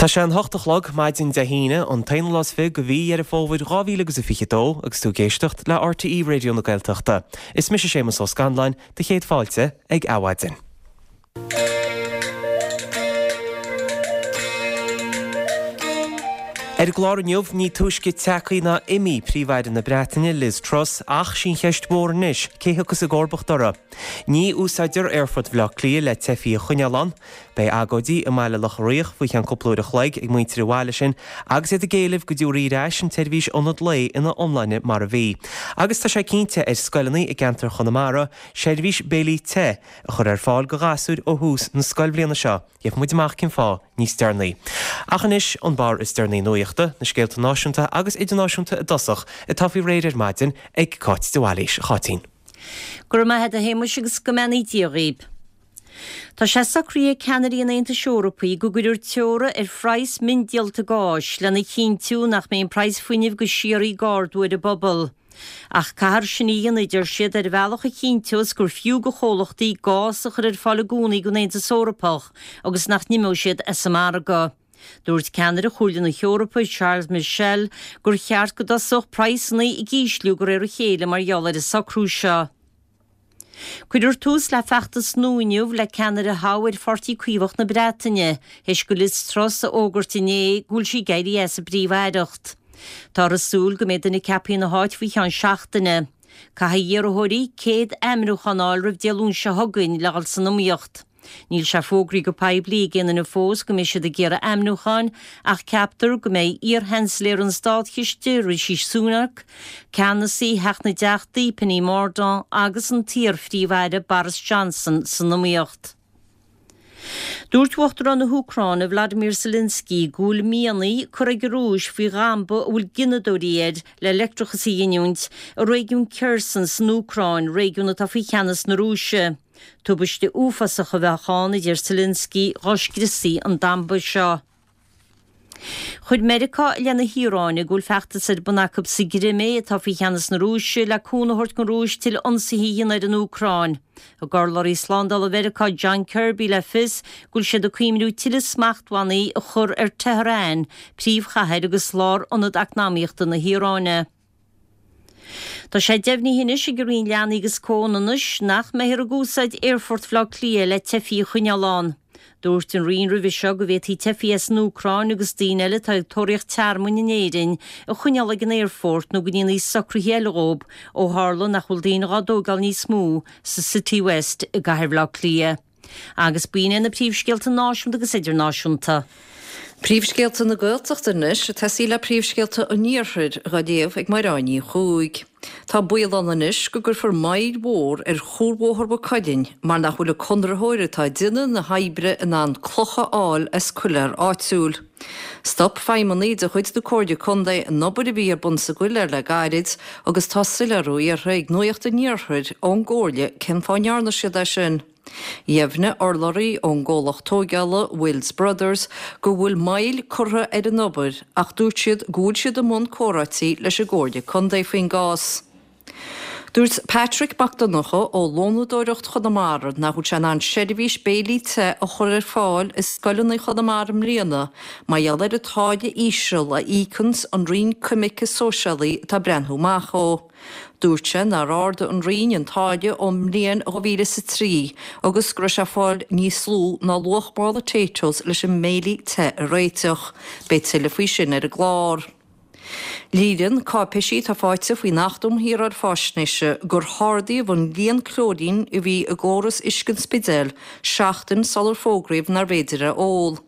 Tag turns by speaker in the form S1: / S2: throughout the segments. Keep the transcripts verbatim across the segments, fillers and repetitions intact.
S1: Tá sé an hocht a chlog maidin Dé hAoine an t-aonú lá is fiche de mhí Dheireadh Fómhair dhá mhíle agus a fiche dó agus tú ag éisteacht le RTÉ Raidió na Gaeltachta. Is mise Séamus Ó Scanláin, do chéad fáilte ag Adhmhaidin. Ar an gclár inniu, ní túisce tagtha ná imithe Príomh-Aire na Breataine, Liz Truss, ach sí an cheist mhór anois, cé thiocfas i gcomharbacht uirthi? Ní úsáidtear Aerfort Bhaile Átha Cliath le teifigh a choinneáil ann. Beidh agóidí i mBaile Locha Riach faoi cheann cúpla uair a chloig ag muintir an bhaile sin agus iad ag éileamh go dtabharfaí ar ais an tseirbhís ionad lae ina iomláine mar a bhí. Agus tá sé cinnte ar scoileanna i gceantar Chonamara seirbhís béilí te a chur ar fáil do ghasúir ó thús na scoilbhliana seo. Gheobhaidh muid amach cén fáth níos deireanaí. Ach anois, an barr is deireanaí nuachta, na scéalta náisiúnta agus idirnáisiúnta i dtosach, atá faoi réir ar maidin ag Cáit de Bhailís. A Cháitín.
S2: Go raibh maith agat a Shéamuis agus go mbeannaí Dia dhaoib. Tá sé socraithe ag ceannairí an Aontais Eorpaigh go gcuirfear teora ar phraghas miondíolta gáis lena chinntiú nach mbeidh an praghas fuinnimh go síoraí ag ardú ar an bpobal. Ach caithfear sin a dhéanamh, a deir siad, ar bhealach a chinnteos gur fiú do chomhlachtaí gás a chur ar fáil i gcónaí don Aontas Eorpach agus nach n-imeoidh siad as an margadh. Dúirt ceannaire Chomhairle na hEorpa, Charles Michel, gur cheart go dtosódh praghsanna ag ísliú de réir a chéile mar gheall ar an socrú seo. Cuirfear tús le feachtas nua inniu le ceannaire a thoghadh ar Pháirtí Caomhach na Breataine, théis do Liz Truss a fhógairt inné go bhfuil sí ag éirí as an bPríomh-Aireacht. Táthar ag súil go mbeidh duine ceaptha ina háit faoi cheann seachtaine. Caithfidh iarrthóirí céad ainmniúchán a fháil roimh Dé Luain seo chugainn le dhul san iomaíocht. Níl sé fógraithe go poiblí ag aon duine fós go mbeidh siad ag iarraidh ainmniúcháin ach ceaptar go mbeidh iar-Sheansailéir an Státchiste, Rishi Sunak, ceannasaí Theach na dTeachtaí, Penny Mordaunt agus an t-iar-Phríomh-Aire Boris Johnson san iomaíocht. Dúirt Uachtarán na hÚcráine Vladimir Zelensky go bhfuil mianaigh curtha ag an Rúis faoi dhamba a bhfuil gineadóirí air le leictreachas a ghiniúint i réigiún Kherson san Úcráin, réigiún atá faoi cheannas na Rúise. Tubaiste uafásach a bheadh ann, a deir Zelensky, dhá scriosfaí an damba seo. Chuir Meiriceá i leith na hIaráine go bhfuil feachtas ar bun acu sa gCrimé, atá faoi cheannas na Rúise, le cúnamh a thabhairt don Rúis tuilleadh ionsaithe a dhéanamh ar an Úcráin. Thug urlabhraí slándála Mheiriceá John Kirby le fios go bhfuil siad ag cuimhniú tuilleadh smachtbhannaí a chur ar Tehran, príomhchathair agus lárionad eacnamaíochta na hIaráine. Tá sé deimhnithe anois ag an Roinn Leanaí agus Comhionannais nach mbeifear ag úsáid Aerfort Bhaile Átha Cliath le teifigh a choinneáil ann. Dúirt an Roinn roimhe seo go bhféadfaí teifigh as an Úcráin agus daoine eile atá ag tóraíocht tearmainn in Éirinn a choinneáil ag an aerfort nó go ndéanfaí socruithe eile dhóibh ó tharla nach bhfuil daoine dhá dtógáil níos mó sa Citywest i gcathair Bhaile Átha Cliath. Agus b'in iad na príomhscéalta náisiúnta agus idirnáisiúnta.
S3: Príomhscéalta na Gaeltachta anois, ag tosaí le príomhscéalta an Iarthair, dhá léamh ag Mairéad Ní Chuaig. Tá baol ann anois go gcuirfear moill mhór ar Chuarbhóthar Mhaigh Cuilinn mar nach bhfuil an conraitheoir atá ag déanamh na hoibre in ann cloch a fháil as coiléar áitiúil. Stop feidhmeannaigh de chuid na Comhairle Contae an obair a bhí ar bun sa gcoiléar le gairid agus tá soiléiriú iarrtha ag Nuacht an Iarthair ón gComhairle cén fáth a ndearna siad é sin. Dheimhnigh urlabhraí ón gcomhlacht tóigeála Wills Brothers go bhfuil moill curtha ar an obair ach dúirt siad go bhfuil siad i mbun comhráití leis an gComhairle Contae faoin gcás. Dúirt Patrick Mac Donncha ó Lónadóireacht Chonamara nach bhfuil sé in ann seirbhís béilí te a chur ar fáil i scoileanna Chonamara i mbliana mar gheall ar an táille íseal a íocanns an Roinn Coimirce Sóisialaí atá ag breathnú amach dhó. Dúirt sé nár ardaigh an Roinn an táille ón mbliain dhá mhíle is a trí agus go raibh sé ag fáil níos lú ná luach mála Taytos leis an mbéilí te a réiteach. Beidh tuilleadh faoi sin ar an gclár. Léiríonn cáipéisí atá faighte faoin Acht um Shaoráil Faisnéise gur hardaíodh an líon clóirín a bhí i gcóras uisce an Spidéil seachtain sular fógraíodh nárbh fhéidir é a ól.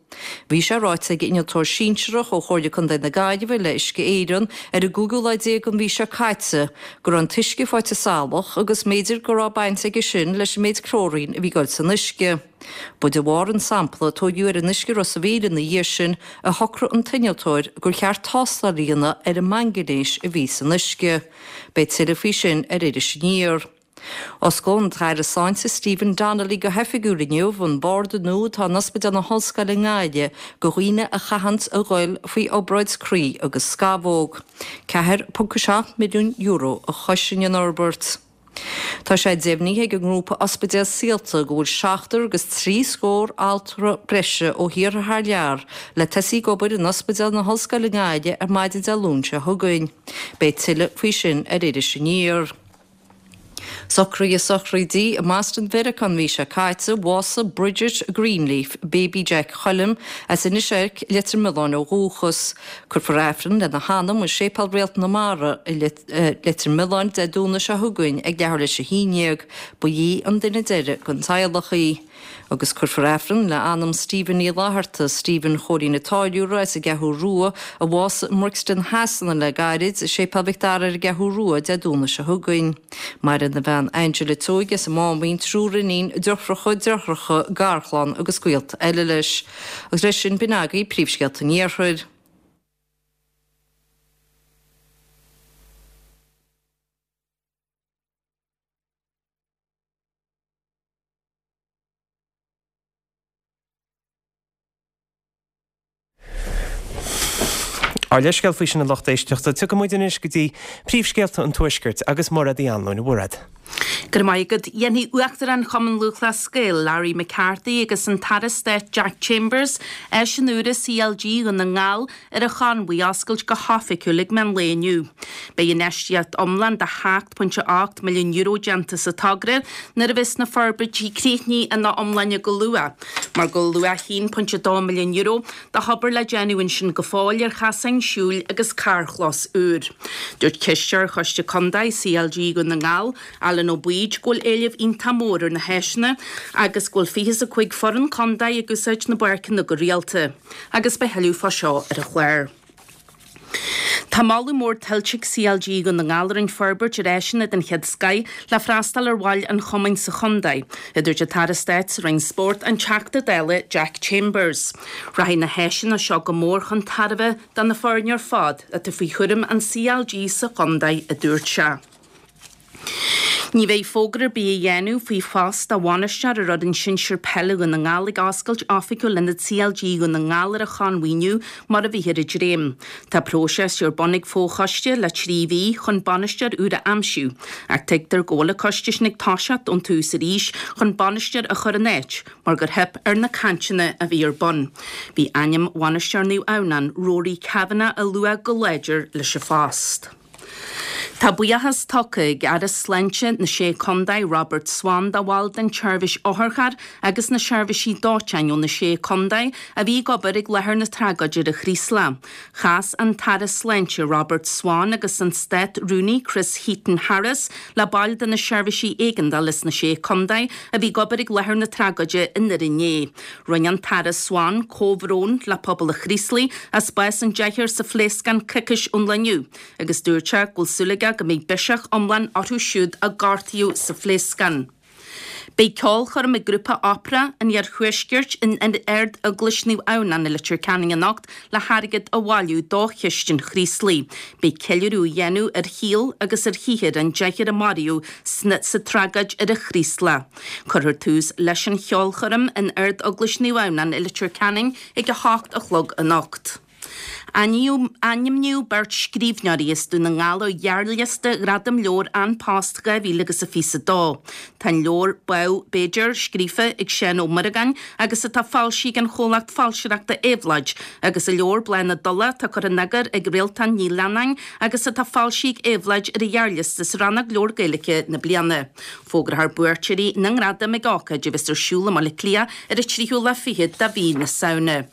S3: Bhí sé ráite ag innealtóir sinsearach ó Chomhairle Contae na Gaillimhe le Uisce Éireann ar an gcúigiú lá déag den mhí seo caite go raibh an t-uisce faighte salach agus mb'fhéidir go raibh baint aige sin leis an méid clóirín a bhí ag dul san uisce. Ba de bharr an sampla a tóigeadh ar an uisce Ros a' Mhíl ina dhiaidh sin a shocraigh an t-innealtóir gur cheart tástáil a dhéanamh ar an mangainéis a bhí san uisce. Beidh tuilleadh faoi sin ar Iris Aniar. Osclóidh an tAire Sláinte Stephen Donnelly go hoifigiúil inniu an barda nua atá in Ospidéal na hOllscoile i nGaillimh do dhaoine a chaitheanns a ghoil faoi obráid croí agus scamhóg. ceathair ponc a seacht milliún euro a chosain an fhorbairt. Tá sé deimhnithe ag an ngrúpa Ospidéal Saolta go bhfuil seachtar agus trí scór altra breise ó thíortha thar lear le tosaí ag obair in Ospidéal na hOllscoile i nGaillimh ar maidin Dé Luain seo chugainn. Beidh tuilleadh faoi sin ar Iris Aniar. Socruithe sochraide i mBoston Mheiriceá an mhí seo caite, bhásaigh Bridget Greenleaf, Baby Jack Choilm, as Inis Oirc, Leitir Mealláin ó dhúchas. Cuirfear Aifreann lena hanam i Séipéal Réalt na Mara i Leitir Mealláin Dé Domhnaigh seo chugainn ag leathuair tar éis a haon déag. Ba í an duine deiridh den teaghlach í. Agus cuirfear Aifreann le anam Stephen Uí Fhlatharta, Stephen Chóilín an Táilliúra as an gCeathrú Rua, a bhásaigh i mBrixton Shasana le gairid, i Séipéal Mhic Dara ar an gCeathrú Rua Dé Domhnaigh seo chugainn. Maireann a bhean Angela Tuohy as an Máimín, triúr iníon, deirfiúracha, deartháireacha, garchlann agus gaolta eile leis. Agus leis sin b'in agaibh príomhscéalta an Iarthair.
S1: Ár leithscéal faoi sin a lucht éisteachta, tiocfaidh muid anois go dtí príomhscéalta an Tuaiscirt agus Mairéad Uí Anluain, a Mhairéad.
S4: Go raibh maith agat. Dhéanfaidh Uachtarán Chumann Lúthchleas Gael, Larry McCarthy agus an tAire Stáit Jack Chambers áiseanna úra CLG Dhún na nGall ar an Chonmhaigh a oscailt go hoifigiúil ag meán lae inniu. Beidh infheistíocht iomlán de hocht pointe ocht milliún euro déanta sa togra nuair a bheas na forbairtí críochnaithe ina iomláine go luath, mar go bhfuil luach haon pointe dó milliún euro de obair le déanamh ansin go fóill ar chasáin siúil agus carrchlós úr. Dúirt Cisteoir Choiste Contae CLG Dhún na nGall, Alan Ó Baoid, go bhfuil éileamh iontach mór ar na háiseanna agus go bhfuil fiche is a cúig foireann contae ag úsáid na bpáirceanna go rialta. Agus beidh thuilleadh fá seo ar an chlár. Tá moladh mór tuillte ag CLG Dhún na nGall ar an forbairt ar áiseanna den chéad scoith le freastal ar bhaill an chumainn sa chontae, a dúirt an tAire Stáit sa Roinn Spóirt, an Teachta Dála Jack Chambers. Rachaidh na háiseanna seo go mór chun tairbhe do na foirne ar fad atá faoi chúram an CLG sa chontae, a dúirt sé. Ní bheidh fógra ar bith á dhéanamh faoi phost do bhainisteoir ar fhoireann sinsir peile Dhún na nGall ag oscailt oifigiúil Ionad CLG Dhún na nGall ar an Chonmhaigh inniu mar a bhíthear ag dréim. Tá próiseas ar bun ag fochoiste le trí mhí chun bainisteoir úr a aimsiú, ach tuigtear go bhfuil an coiste sin ag toiseacht ón tús arís chun bainisteoir a chur in áit mar gur theip ar na cainteanna a bhí ar bun. Bhí ainm bhainisteoir Naomh Adhamhnáin, Rory Kavanagh, á lua go láidir leis an phost. Tá buíochas tugtha ag Aire Sláinte na Sé Contae Robert Swan do bhaill den tseirbhís otharchairr agus na seirbhísí dóiteáin ó na Sé Contae a bhí ag obair ag láthair na tragóide ar an Chraoslach. Chas an tAire Sláinte Robert Swan agus an Stát-Rúnaí Chris Heaton Harris le baill de na seirbhísí éigeandála sna Sé Contae a bhí ag obair ag láthair na tragóide i nDoire inné. Rinne an tAire Swan comhbhrón le pobal an Chraoslaigh as bás an deichniúir sa phléascán coicís ón lá inniu agus dúirt sé go bhfuil súil aige go mbeidh biseach iomlán orthu siúd a gortaíodh sa phléascán. Beidh ceolchoirm ag grúpa Opera an Iarthuaiscirt in Ard-Eaglais Naomh Adhamhnáin i Leitir Ceanainn anocht le hairgead a bhailiú do Chiste an Chraoslaigh. Beidh ceiliúradh á dhéanamh ar shaol agus ar shaothar an deichniúir a maraíodh sa tragóid ar an Chraoslach. Cuirfear tús leis an cheolchoirm in Ard-Eaglais Naomh Adhamhnáin i Leitir Ceanainn ag a hocht a chlog anocht. Ainmníodh beirt scríbhneoirí as Dún na nGall ar ghearrliosta Ghradam Leabhar An Post dhá mhíle agus a fiche a dó. Tá an leabhar Badhbh B'fhéidir scríofa ag Seán Ó Muireagáin agus atá foilsithe ag an chomhlacht foilsitheoireachta Éabhlóid agus an leabhar Bláth na dTulach atá curtha in eagar ag Réaltán Ní Leannáin agus atá foilsithe ag Éabhlóid ar an ghearrliosta sa rannóg Leabhar Gaeilge na Bliana. Fógrófar buaiteoirí na ngradam ag ócáid a bheas ar siúl i mBaile Átha Cliath ar an tríú lá fichead de mhí na Samhna.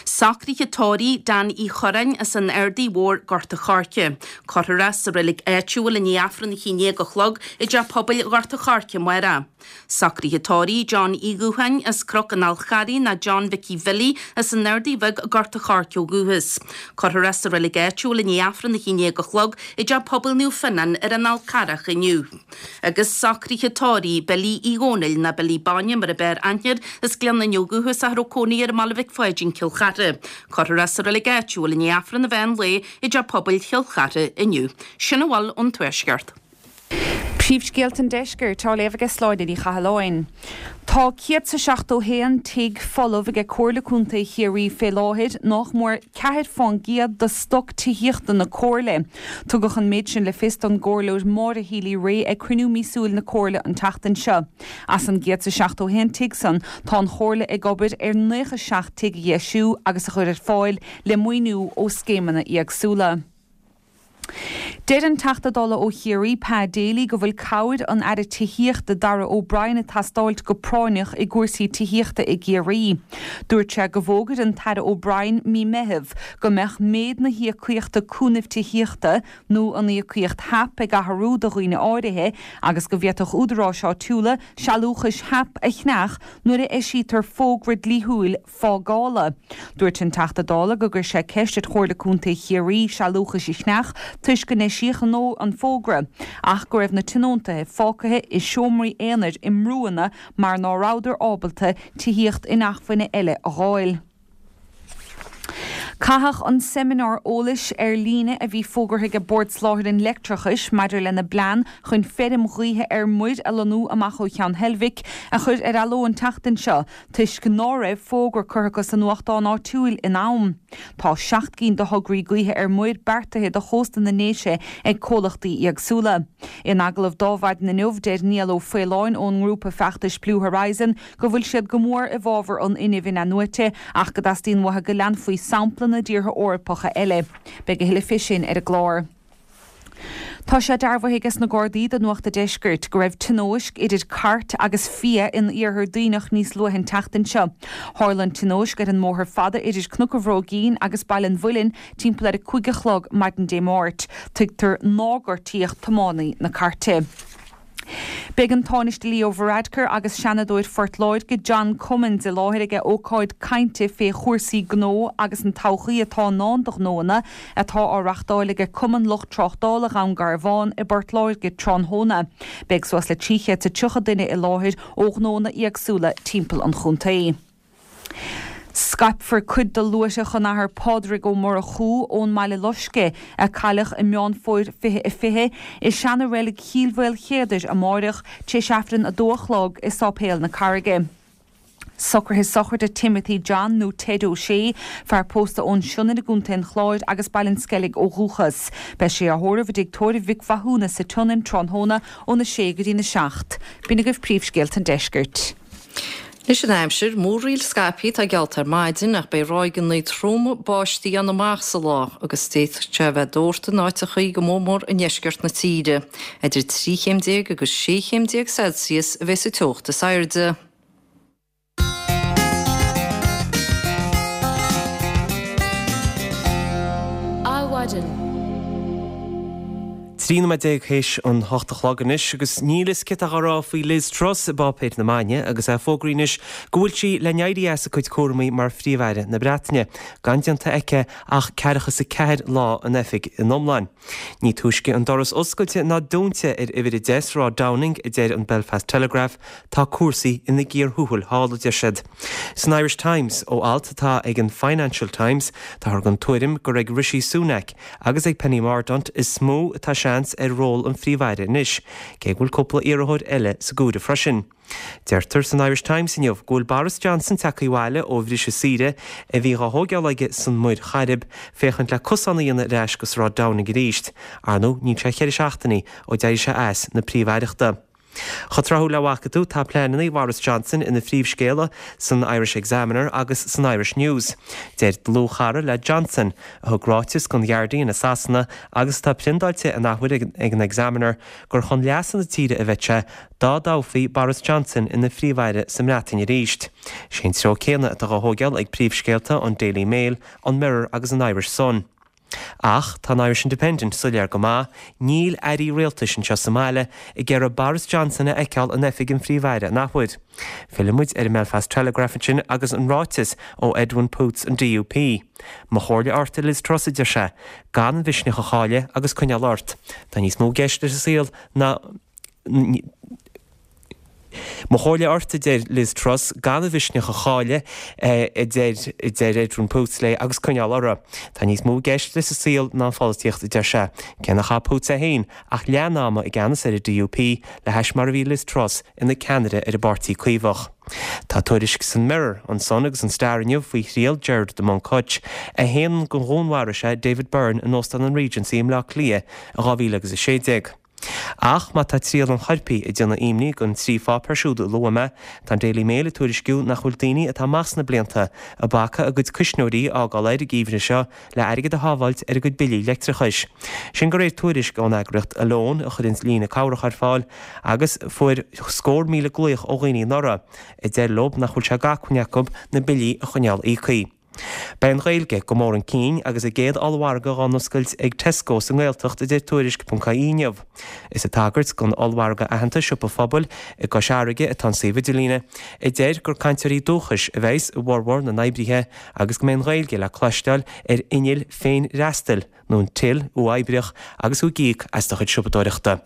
S4: Socruithe tórraimh Dan Uí Churráin as an Ardaidh Mhór Gort a' Choirce. Cuirfear é sa reilig áitiúil i ndiaidh Aifreann a haon déag a chlog i dTeach Pobail Ghort a' Choirce amárach. Socruithe tórraimh John Uí Dhútháin as Cnoc an Fhál Charraigh ná John Mhicí Bhilly as an Ardaidh Bheag Gort a' Choirce ó dhúchas. Cuirfear é sa reilig áitiúil i ndiaidh Aifreann a haon déag a chlog i dTeach Pobail Naomh Fionnán ar an Fhál Carrach inniu. Agus socruithe tórraimh Billy Uí Dhónaill ná Billy Bainne mar ab fhearr aithne air as Gleann Fhinne ó dhúchas ach a raibh cónaí air i mBaile Mhic Pháidín Cill Chartha. Cuirfear é sa reilig áitiúil i ndiaidh Aifreann an mheán lae i dTeach Pobail Chill Chartha inniu. Sin a bhfuil ón Tuaisceart.
S5: Príomhscéalta an Deiscirt á léamh aige Sláine Ní Chathalláin. Tá céad is a seachtó haon tigh folamh aige Comhairle Contae Chiarraí fé láthair, nach mór ceathair fán gcéad de stoc tithíochta na Comhairle. Tugadh an méid sin le fios don gComhairleoir Maura Healy-Rae ag cruinniú míosúil na Comhairle an tseachtain seo. As an gcéad is a seachtó haon tigh san, tá an Chomhairle ag obair ar naocha seacht tigh a dheisiú agus a chur ar fáil le maoiniú ó scéimeanna éagsúla. Deir an Teachta Dála ó Chiarraí, Pa Daly, go bhfuil cabhair an Aire Tithíochta Darragh O'Brien ag teastáilt go práinneach i gcúrsaí tithíochta i gCiarraí. Dúirt sé go bhfógair an tAire O'Brien mí Meitheamh go mbeadh méid na híocaíochta cúnaimh tithíochta nó an íocaíocht HAP ag athrú do dhaoine áirithe agus go bhféadfadh údaráis áitiúla sealúchais HAP a cheannach nuair a eisítear fógra dlíthiúil fágála. Dúirt an Teachta Dála go gcuir sé ceist ar Chomhairle Contae Chiarraí sealúchais a cheannach toisc go n-eisíodh an fógra ach go raibh na tionóntaithe fágtha i seomraí aonair i mbrúanna mar ná rabhadar ábalta tithíocht inacmhainne eile a dh'fháil. Caitheadh an seimineár eolais ar líne a bhí fógartha ag Bord Soláthair an Leictreachais maidir lena bplean chun feirm ghaoithe ar muir a lonnú amach ó Cheann Heilbhic a chur ar athló an tseachtain seo toisc ná raibh fógra curtha acu sa nuachtán áitiúil in am. Tá seacht gcinn de thograí gaoithe ar muir beartaithe do chósta na nDéise ag comhlachtaí éagsúla. In agallamh d'Adhmhaidin inniu, deir Niall Ó Faoláin ón ngrúpa feachtais Blue Horizon go bhfuil siad go mór i bhfabhar an fhuinnimh in-athnuaite ach go dteastaíonn uathu go leanfaí sampla na dtíortha Eorpacha eile. Beidh a thuilleadh fé sin ar an gclár. Tá sé dearbhaithe aige sna Gardaí do Nuacht a' Deiscirt go raibh tionóisc idir cairt agus fia in iarthar Duibhneach níos luaithe an tseachtain seo. Tharla an tionóisc ar an mbóthar fada idir Cnoc an Bhróigín agus Baile an Mhuilinn timpeall ar a cúig a chlog maidin Dé Máirt. Tuigtear nár gortaíodh tiománaí na cairte. Beidh an Tánaiste Leo Varadkar agus Seanadóir Phort Láirge John Cummins i láthair ag ócáid cainte fé chúrsaí gnó agus an todhchaí atá i ndán do ghnóanna atá á reachtáil ag Cumann Lucht Tráchtála Dhún Garbhán i bPort Láirge tráthnóna. Beidh suas le trí chéad is tríocha duine i láthair ó ghnóanna éagsúla timpeall an chontae. Scaipfear cuid de luaithreach an Athar Pádraig Ó Murchú ón mBaile Loiscthe, a cailleadh i Meán Fómhair fiche a fiche, i seana-reilig Chill Mhaoilchéadair amáireach, tar éis Aifreann a dó a chlog i Sáipéal na Carraige. Socruithe sochraide Timothy John nó Ted O'Shea, fear pósta ón Sionainn i gContae an Chláir agus Baile an Sceilg ó dhúchas. Beidh sé á thórramh i dTigh Tórraimh Mhic Mhathúna sa tSionainn tráthnóna óna sé go dtína seacht. B'in agaibh príomhscéalta an deiscirt.
S3: Anois an aimsir, múraíl scaipthe atá geallta ar maidin ach beidh ráigeanna troma báistí ann amach sa lá agus d'fhéadfadh sé a bheith dórtadh in áiteachaí go mór mór i ndeisceart na tíre. Idir trí chéim déag agus sé chéim déag Celsius a bheas an teocht is airde.
S6: Adhmhaidin.
S1: Trí nóiméad déag théis an hocht a chlog anois agus níl fhios céard atá á rá faoi Liz Truss i bpáipéir na maidne agus é fógraithe anois go bhfuil sí le n-éirí as a cuid cúramaí mar Phríomh-Aire na Breataine, gan déanta aici ach ceathracha is a ceathair lá in oifig in iomlán. Ní túisce an doras oscailte ná dúnta ar uimhir a deich Sráid Downing, a deir an Belfast Telegraph, tá cúrsaí ina gcíor thuathail thall, a deir siad. San Irish Times, ó alt atá ag an Financial Times, táthar den tuairim gur ag Rishi Sunak agus ag Penny Mordaunt is mó atá seans ar ról an Phríomh-Aire anois, cé go bhfuil cúpla iarrthóir eile sa gcomhaireamh freisin. Deirtear san Irish Times inniu go bhfuil Boris Johnson tagtha abhaile ó bhriseadh saoire a bhí dhá thógáil aige san Muir Chairib féachaint le cosán a dhéanamh ar ais go Sráid Downing arís. Ar ndóigh, níl sé cheithre seachtainí ó d'éirigh sé as na Príomh-Aireachta. Chomh tráthúil le bhfaca tú, tá pleananna Bhoris Johnson ina phríomhscéala san Irish Examiner agus san Irish News. Deir dlúthchara le Johnson, a thug ráiteas don Guardian i Sasana agus atá priontáilte an athuair ag an Examiner, gur chun leasa na tíre a bheadh sé dá dtoghfaí Boris Johnson ina Phríomh-Aire sa mBreatain arís. Sé an treo céanna atá á thógáil ag príomhscéalta an Daily Mail, an Mirror agus an Irish Sun. Ach tá an Irish Independent soiléir go maith, níl airí rialtais anseo sa mbaile ag iarraidh Boris Johnson a fheiceáil in oifig an Phríomh-Aire an athuair. Filleann muid ar an mBelfast Telegraph ansin agus an ráiteas ó Edwin Poots an D U P. Mo chomhairle ort, a Liz Truss, a deir sé, gan an mhisneach a chailleadh agus coinneáil ort. Tá níos mó i gceist leis an saol ná Mo chomhairle ort, a deir Liz Truss, gan a mhisneach a chailleadh, a deir a deir Edwin Poots léi, agus coinneáil orthu. Tá níos mó i gceist leis an saol ná an pholaitíocht, a deir sé. Cé nár chaith Poots é féin ach leath an ama i gceannas ar an D U P le hais mar a bhí Liz Truss ina ceannaire ar an bPáirtí Caomhach. Tá tuairisc san Mirror, an Sun agus an Star inniu faoi thriail Gerard de Búncutch, a shéan gur dhúnmharaigh sé David Byrne in Óstán an Regency i mBleá Cliath i dhá mhíle agus a sé déag. Ach má tá triail an choirpigh ag déanamh imní don trí pháipéar siúd a luaigh mé, tá an Daily Mail ag tuairisciú nach bhfuil daoine atá amach sna blianta ag bacadh a gcuid cuisneoirí a fhágáil air an geimhreadh seo le airgead a shábháilt ar a gcuid billí leictreachais. Sin de réir tuairisc ón eagraíocht Alone a chuireann líne cabhrach ar fáil agus fuair scór míle glaoch ó dhaoine anuraidh, a deir leo nach bhfuil sé d'acmhainn acu na billí a choinneáil íoctha. Beidh an Ghaeilge go mór chun cinn agus a gcéad ollmhargadh á n-oscailt ag Tesco sa nGaeltacht, a deir Tuairisc ponc ie inniu. Is ag tagairt don ollmhargadh aitheanta Siopa Phobail i gCois Fharraige atá an suíomh idirlíne, a deir gur cainteoirí dúchais a bheas i bhformhór na n-oibrithe agus go mbeidh an Ghaeilge le cloisteáil ar innill féinfhreastail nó an till uathoibríoch agus tú ag íoc as do chuid siopadóireachta.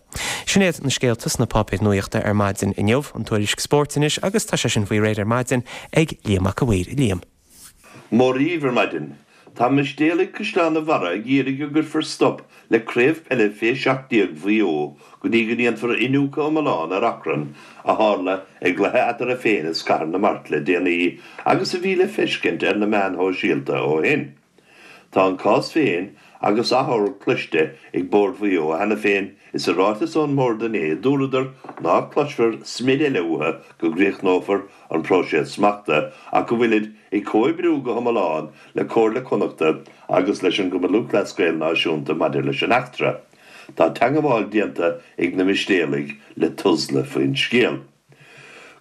S1: Sin iad na scéalta sna páipéir nuachta ar maidin inniu, an tuairisc spóirt anois agus tá sé sin faoi réir ar maidin ag Liam Mac a' Mhaoir. Liam.
S7: Mora dhaoibh ar maidin. Tá Mistéalaigh Caisleán an Bharraigh ag iarraidh go gcuirfear stop le Craobh Peile Fé seacht déag Mhaigh Eo go dtí go ndéanfar iniúchadh iomlán ar achrann a tharla i gcluiche eatarthu féin is Cathair na Mart le déanaí agus a bhí le feiscint ar na meáin shóisialta ó shin. Tá an cás féin agus achomharc cloiste ag Bord Mhaigh Eo cheana féin is i ráiteas ón mbord inné dúradar ná cloisfear smid eile uathu go gcríochnófar an próiseas smachta ach go bhfuilid ag comhoibriú go hiomlán le Comhairle Chonnachta agus leis an gCumann Lúthchleas Gael Náisiúnta maidir leis an eachtra. Tá teagmháil déanta ag na Mistéalaigh le Tusla faoin scéal.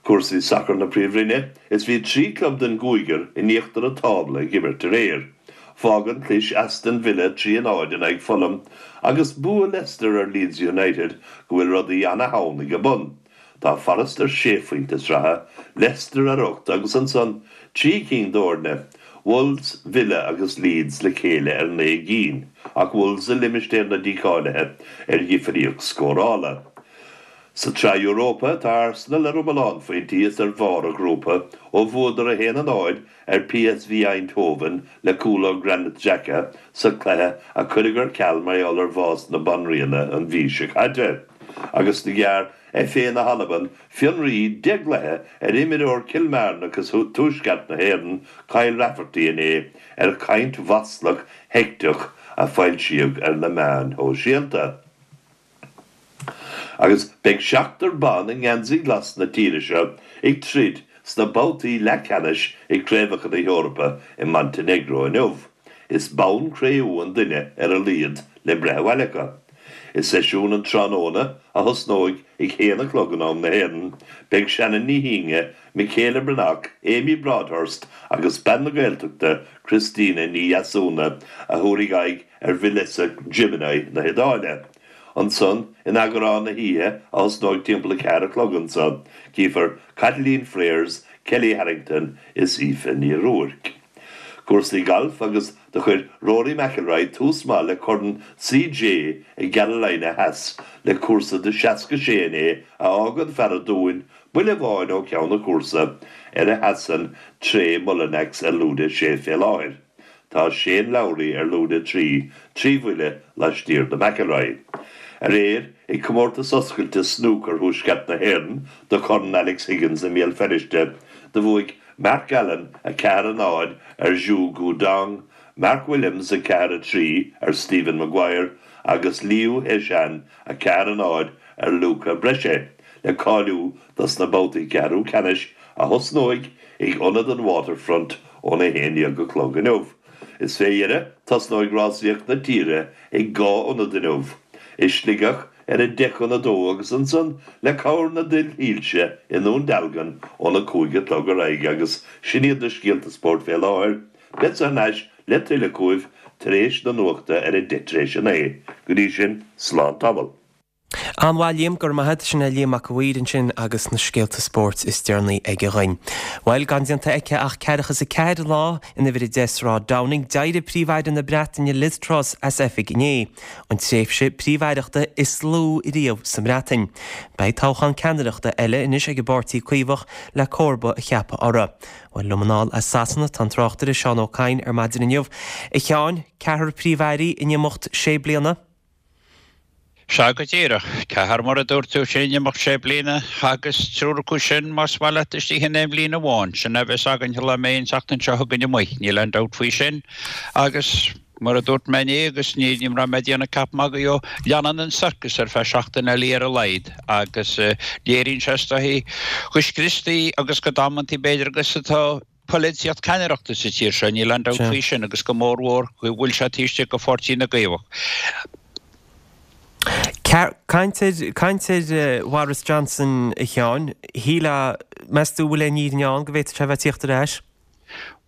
S7: Cúrsaí sacair na Príomhroinne, is bhí trí club den gcúigear in íochtar an tábla ag imirt aréir. Fágann clis Aston Villa trí a náid in aghaidh Fulham agus bua Leicester ar Leeds United go bhfuil rudaí ana-theann ag a bun. Tá Forest ar sé phointe sraithe, Leicester ar ocht agus ansan trí cinn d'fhoirne, Wolves, Villa agus Leeds le chéile ar naoi gcinn, ach Wolves i limistéar na dícháilithe ar dhifríocht scórála. Sa tSraith Europa tá Arsenal ar iomlán phointí is ar bharr a ghrúpa ó bhuadar a haon a náid ar P S V Eindhoven le cúl ó Granit Xhaka sa chluiche a cuireadh ar ceal mar gheall ar bhás na banríona an mhí seo caite. Agus do ghearr F A na hAlban fionraí deich gcluiche ar imreoir Chill Mhearna agus Tuaisceart na hÉireann Kyle Rafferty inné ar chaint mhaslach sheicteach a foilsíodh ar na meáin shóisialta. Agus beidh seachtar ban i ngeansaí glas na tíre seo ag troid sna babhtaí leathcheannais i gCraobhacha na hEorpa i Montenegro inniu. Is bonn cré-umha an duine ar a laghad le breith abhaile acu. I seisiún an tráthnóna a thosnóidh ag haon a chlog in am na hÉireann, beidh Shannon Ní hÍne, Michaela Breathnach, Amy Broadhurst agus bean na Gaeltachta Christina Ní Dheasúna a thabharfaidh aghaidh ar Villese Gemini na hIodáile. Ansan in eagrán na hoíche a thosnóidh timpeall a ceathair a chlog anseo, cífear Caitlín Freers, Kelly Harrington is Aoife Ní Ruairc. Cúrsaí gailf agus do chuir Rory McIlroy tús maith le Corn C J i gCarolina Theas le cúrsa de seasca sé inné a fhágann fear an Dúin buille amháin ó cheann an chúrsa ar a sheasann Trey Mullinax ar lúide sé fé láthair. Tá Shane Lowry ar lúide trí, trí bhuille laistiar de McIlroy. Aréir ag comórtas oscailte snúcair Thuaisceart na hÉireann do Chorn Alex Higgins i mBéal Feirste, do bhuaigh Mark Allen a ceathair a náid ar Zhu Guodong, Mark Williams a ceathair a trí ar Stephen Maguire agus Liu Heishan a ceathair a náid ar Luca Brechet le cáiliú dos na babhtaí ceathrú ceannais a thosnóidh ag ionad an Waterfront óna haon déag a chlog inniu. Is fé dheireadh tosnóidh rásaíocht na tíre ag dhá ionad inniu, i Sligeach ar a deich chun a dó agus ansan le cabhair na duillsilte i nDún Dealgan óna cúig a chlog ar aghaidh agus sin iad na scéalta spóirt fé láthair, beidh thar n-ais le tuilleadh chugaibh tar éis na nuachta ar a deich tar éis a naoi. Go dtí sin, slán tamall.
S1: An-mhaith Liam, go raibh maith agat. Sin é Liam Mac a' Mhaoir ansin agus na scéalta spóirt is deireanaí aige dhuinn. Bhuel, gan déanta aici ach ceathracha is a ceathair lá in uimhir a deich Sráid Downing, d'éirigh Príomh-Aire na Breataine Liz Truss as oifig inné, an tréimhse príomh-aireachta is lú riamh sa mBreatain. Beidh toghchán ceannaireachta eile anois ag an bPáirtí Caomhach le comharba a cheapadh uirthi. Bhuel, liom anall as Sasana tá an tráchtaire Seán Ó Cadhain ar maidin inniu. A Sheáin, ceathrar príomh-airí in imeacht sé bliana?
S8: Sea go díreach. Ceathrar mar a dúirt tú, sin in imeacht sé bliana agus triúr acu sin, más maith leat, istigh in aon bhliain amháin. Sin a bheas againn sula mbeidh an tseachtain seo chugainn amuigh, níl aon dabht faoi sin. Agus mar a dúirt mé inné, agus ní raibh mé ag déanamh ceap magaidh dhó, leanann an sorcas ar feadh seachtain eile ar a laghad agus léiríonn sé is dóichí chomh scriostaí agus chomh damanta b'fhéidir agus atá polaitíocht ceannaireachta sa tír seo, níl aon dabht faoi sin, agus go mórmhór go bhfuil sé taobh istigh de Pháirtí na gCaomhach.
S1: Caint ar, caint ar Bhoris Johnson, a Sheáin, shílfeá, meas tú an bhfuil aon fhírinne ann go bhféadfadh sé a bheith ag tíocht ar ais?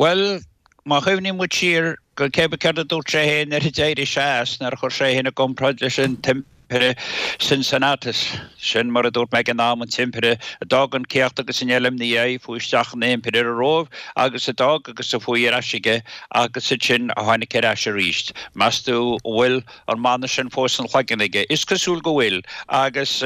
S8: Bhuel, má chuimhníonn muid siar go cé céard a dúirt sé féin nuair a d'éirigh sé as, nuair a chuir sé féin i gcomparáid leis an tImpire Cincinnatus, sin mar a dúirt mé ag an am, an tImpire a d'fhág an céacht agus an eile ina dhiaidh, fuaigh isteach ina Impire ar an Róimh agus a d'fhág agus a fuaigh ar ais aige agus ansin a tháinig ar ais arís. Meas tú an bhfuil an mana sin fós ina chloigeann aige? Is cosúil go bhfuil, agus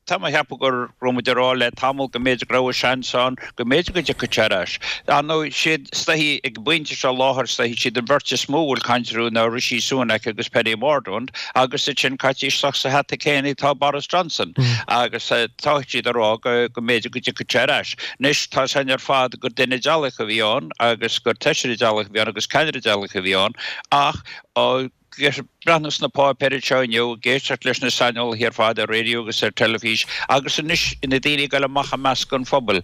S8: tá mé a cheapadh go raibh muid ag rá le tamall go mb'fhéidir go raibh a seans ann go mb'fhéidir go dtiocfadh sé ar ais. Ar ndóigh, siad is dóichí ag an bpointe seo láthair, is dóichí siad an bheirt is mó a bhfuil caint orthu ná Rishi Sunak agus Penny Mordaunt agus ansin caite isteach sa hata céanna atá Boris Johnson agus tá siad ag rá go mb'fhéidir go dtiocfadh sé ar ais. Anois, tá a fhios againn ar fad gur duine dealaithe a bhí ann agus gur feisire dealaithe a bhí ann agus ceannaire dealaithe a bhí ann ach ag breathnú sna páipéir anseo inniu, ag éisteacht leis na saineolaithe ar fad ar raidió agus ar teilifís agus anois na daoine ag dul amach i measc an phobail.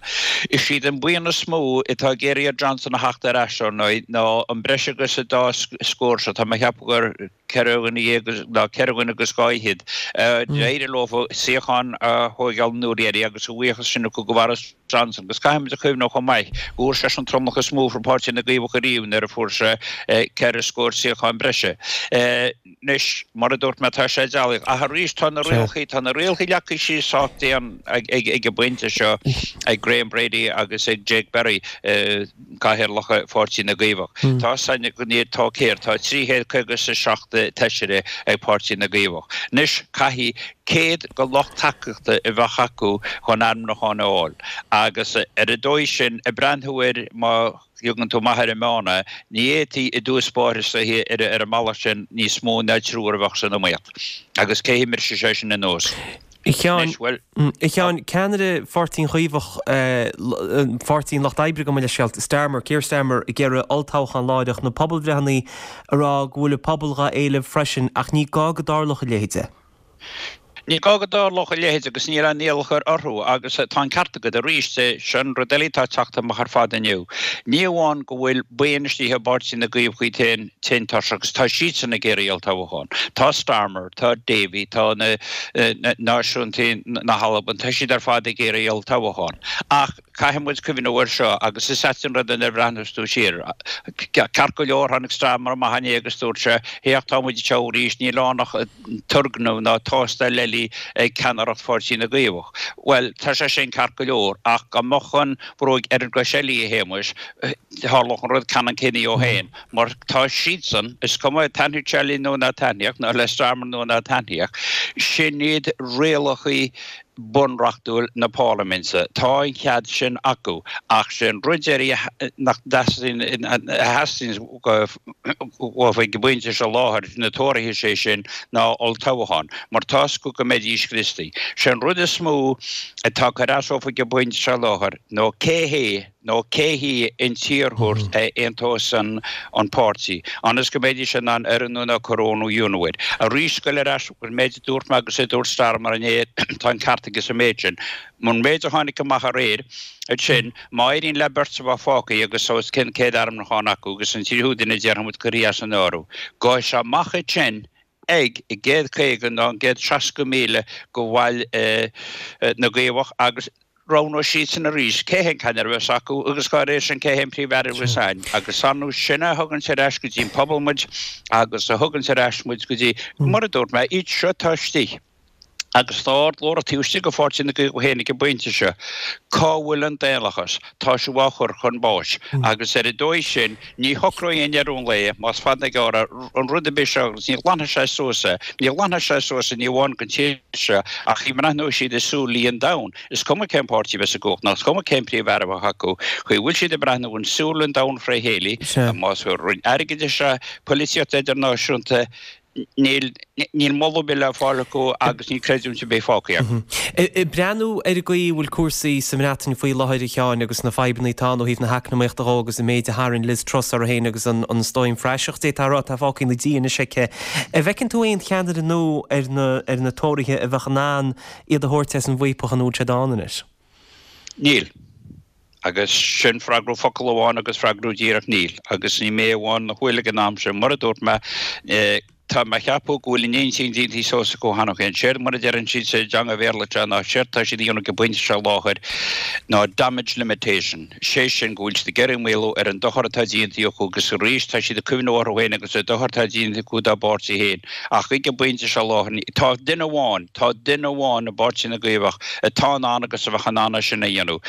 S8: Is iad an buíon is mó atá ag iarraidh ar Johnson a theacht ar ais, ar ndóigh, ná an breis agus an dá scór seo, tá mé a cheapadh gur ceithre dhuine dhéag ná ceithre dhuine agus dhá fhichead. D'éirigh leo suíochán a thóigeáil an uair dheiridh agus a bhuíochas sin acu do Bhoris Johnson agus caithfimid a chuimhneamh chomh maith go bhfuair seisean an tromlach is mó for Páirtí na gCaomhach ariamh nuair a fuair sé ceithre scór suíochán breise. Anois, mar a dúirt mé, tá sé dealaithe. Ach arís, tá na rialacha, tá na rialacha leagtha síos sách dian ag an bpointe seo ag Graham Brady agus ag Jake Berry, cathaoirleacha Pháirtí na gCaomhach. Tá san, tá céard, tá trí chéad caoga is a seacht feisire ag Páirtí na gCaomhach. Anois, caithfidh céad de lucht tacaíochta a bheith acu chun ainmniúchán a fháil agus ar an dóigh sin, ag breathnú air má thiogann tú amach ar an meán é, ní fhéadfaí i dtús báire is dóiche ar an mbealach sin níos mó ná triúr a bheadh san iomaíocht. Agus cé hí mbrisfidh sé sin an nós?
S1: A Sheáin, a Sheáin, ceannaire Pháirtí an Chaomhach, Pháirtí an Lucht Oibre gabh mo leithscéal, Starmer, Keir Starmer, ag iarraidh olltoghchán láithreach, na pobalbhreitheanna ag rá go bhfuil an pobal dhá éileamh freisin ach ní gá go dtarlódh a leithéid.
S8: Ní gá go dtarlódh a leithéid agus níl aon iallach orthu agus tá an ceart agat arís, sin rud eile atá ag teacht amach ar fad inniu. Ní amháin go bhfuil buíon istigh i bPáirtí na gCaomhach iad féin tinn tuirseach agus tá siadsan ag iarraidh olltoghchán. Tá Starmer, tá Davie, tá na Náisiúntaigh na hAlban, tá siad ar fad ag iarraidh olltoghchán. Ach caithfidh muid cuimhneamh air seo agus is ait an rud é nuair a bhreathnós tú siar. Ceart go leor, tháinig Starmer amach inné agus dúirt sé, Féach, tá muid anseo arís, níl ann ach turgnamh ná tástáil eile ag ceannaireacht Pháirtí na gCaomhach. Bhuel, tá sé sin ceart go leor, ach dá mbeadh an bhróig ar an gcois eile, a Shéamuis, tharlódh an rud ceannann céanna dhó féin, mar tá siadsan, is cuma taitníodh sé linn nó ná taitníodh, nó le Starmer nó ná taitníodh, sin iad rialacha bunreachtúil na Parlaiminte. Tá an cead sin acu, ach sé an rud deiridh nach dteastaíonn, a theastaíonn uathu ag an bpointe seo láthair, na Tóraithe, sé sin, ná olltoghchán, mar tá's acu go mbeidís scriosta. Sé an rud is mó atá ag cur as dófa ag an bpointe seo láthair nó cé hé nó cé hí an t-iarrthóir a aontós an páirtí, ionas go mbeidís in ann oiriúnú nó corónú a dhéanamh air. Arís, goil ar ais go an méid a dúirt mé agus a dúirt Starmer inné, tá an ceart aige sa méid sin. An méid a tháinig amach aréir, ansin, má éiríonn le beirt a bheith fágtha agus os cionn céad ainmniúchán acu agus an tríú duine déarfaidh muid curtha as an áireamh, gabhfaidh sé amach ansin ag an gcéad caoga nó an gcéad seasca míle de bhaill na gCaomhach agus roghnóidh siadsan arís cé hé an ceannaire a bheas acu agus dá réir sin cé hé an Príomh-Aire a bheas ann. Agus ar ndóigh sin a thuganns ar ais go dtí an pobal muid agus a thuganns ar ais muid go dtí, mar a dúirt mé, iad seo atá istigh. Agus tá ardghlórtha taobh istigh de Pháirtí na gCaomhach féin ag an bpointe seo, cá bhfuil an daonlathas? Tá sibh á chur chun báis. Agus ar an dóigh sin, ní shocróidh i ndeireadh an lae, más fada ná gearr é, an rud ar bith seo agus ní ghlanfaidh sé suas é, ní ghlanfaidh sé suas é ní amháin don tír seo ach ní bhreathnóidh siad i súilí an domhain. Is cuma cén páirtí a bheas i gcumhacht ná is cuma cén Príomh-Aire a bheadh acu, chaoi a bhfuil siad ag breathnú in súil an domhain fré chéile, más Roinn Airgeadais é, polaitíocht idirnáisiúnta, Níl, níl moladh ar bith le fáil acu agus níl creidiúint ar bith fágtha acu.
S1: Ag breathnú ar an gcaoi a bhfuil cúrsaí sa mBreatain faoi láthair, a Sheáin, agus na fadhbanna atá ann ó thaobh na heacnamaíochta dhó agus an méid a tharraing Liz Truss uirthi féin agus an stoirm phraiseach, d'fhéadfá a rá, atá fágtha ina diaidh anois aici. An bhfeiceann tú aon cheannaire nua ar na, ar na Tóraithe a bheadh in ann iad a thabhairt as an bhfaopach ina bhfuil siad ann anois?
S8: Níl. Agus sin freagra focal amháin agus freagra díreach níl. Agus ní mé amháin a bhfuil ag an am sin. Mar a dúirt mé, tá mé a cheapadh go bhfuil a n-intinn déanta suas acu cheana féin. Séard mar a deireann siad sa dteanga Bhéarla seo ná séard tá siad a dhéanamh ag an bpointe seo láthair ná damage limitation. Sé sin go bhfuil siad ag iarraidh maolú ar an dochar atá déanta acu agus arís tá siad ag cuimhneamh orthu féin agus ar dochar atá déanta acu dá bpáirtí féin. Ach ag an bpointe seo láthair tá duine amháin, tá duine amháin i bPáirtí na gCaomhach atá in ann agus a bheadh in ann é sin a dhéanamh.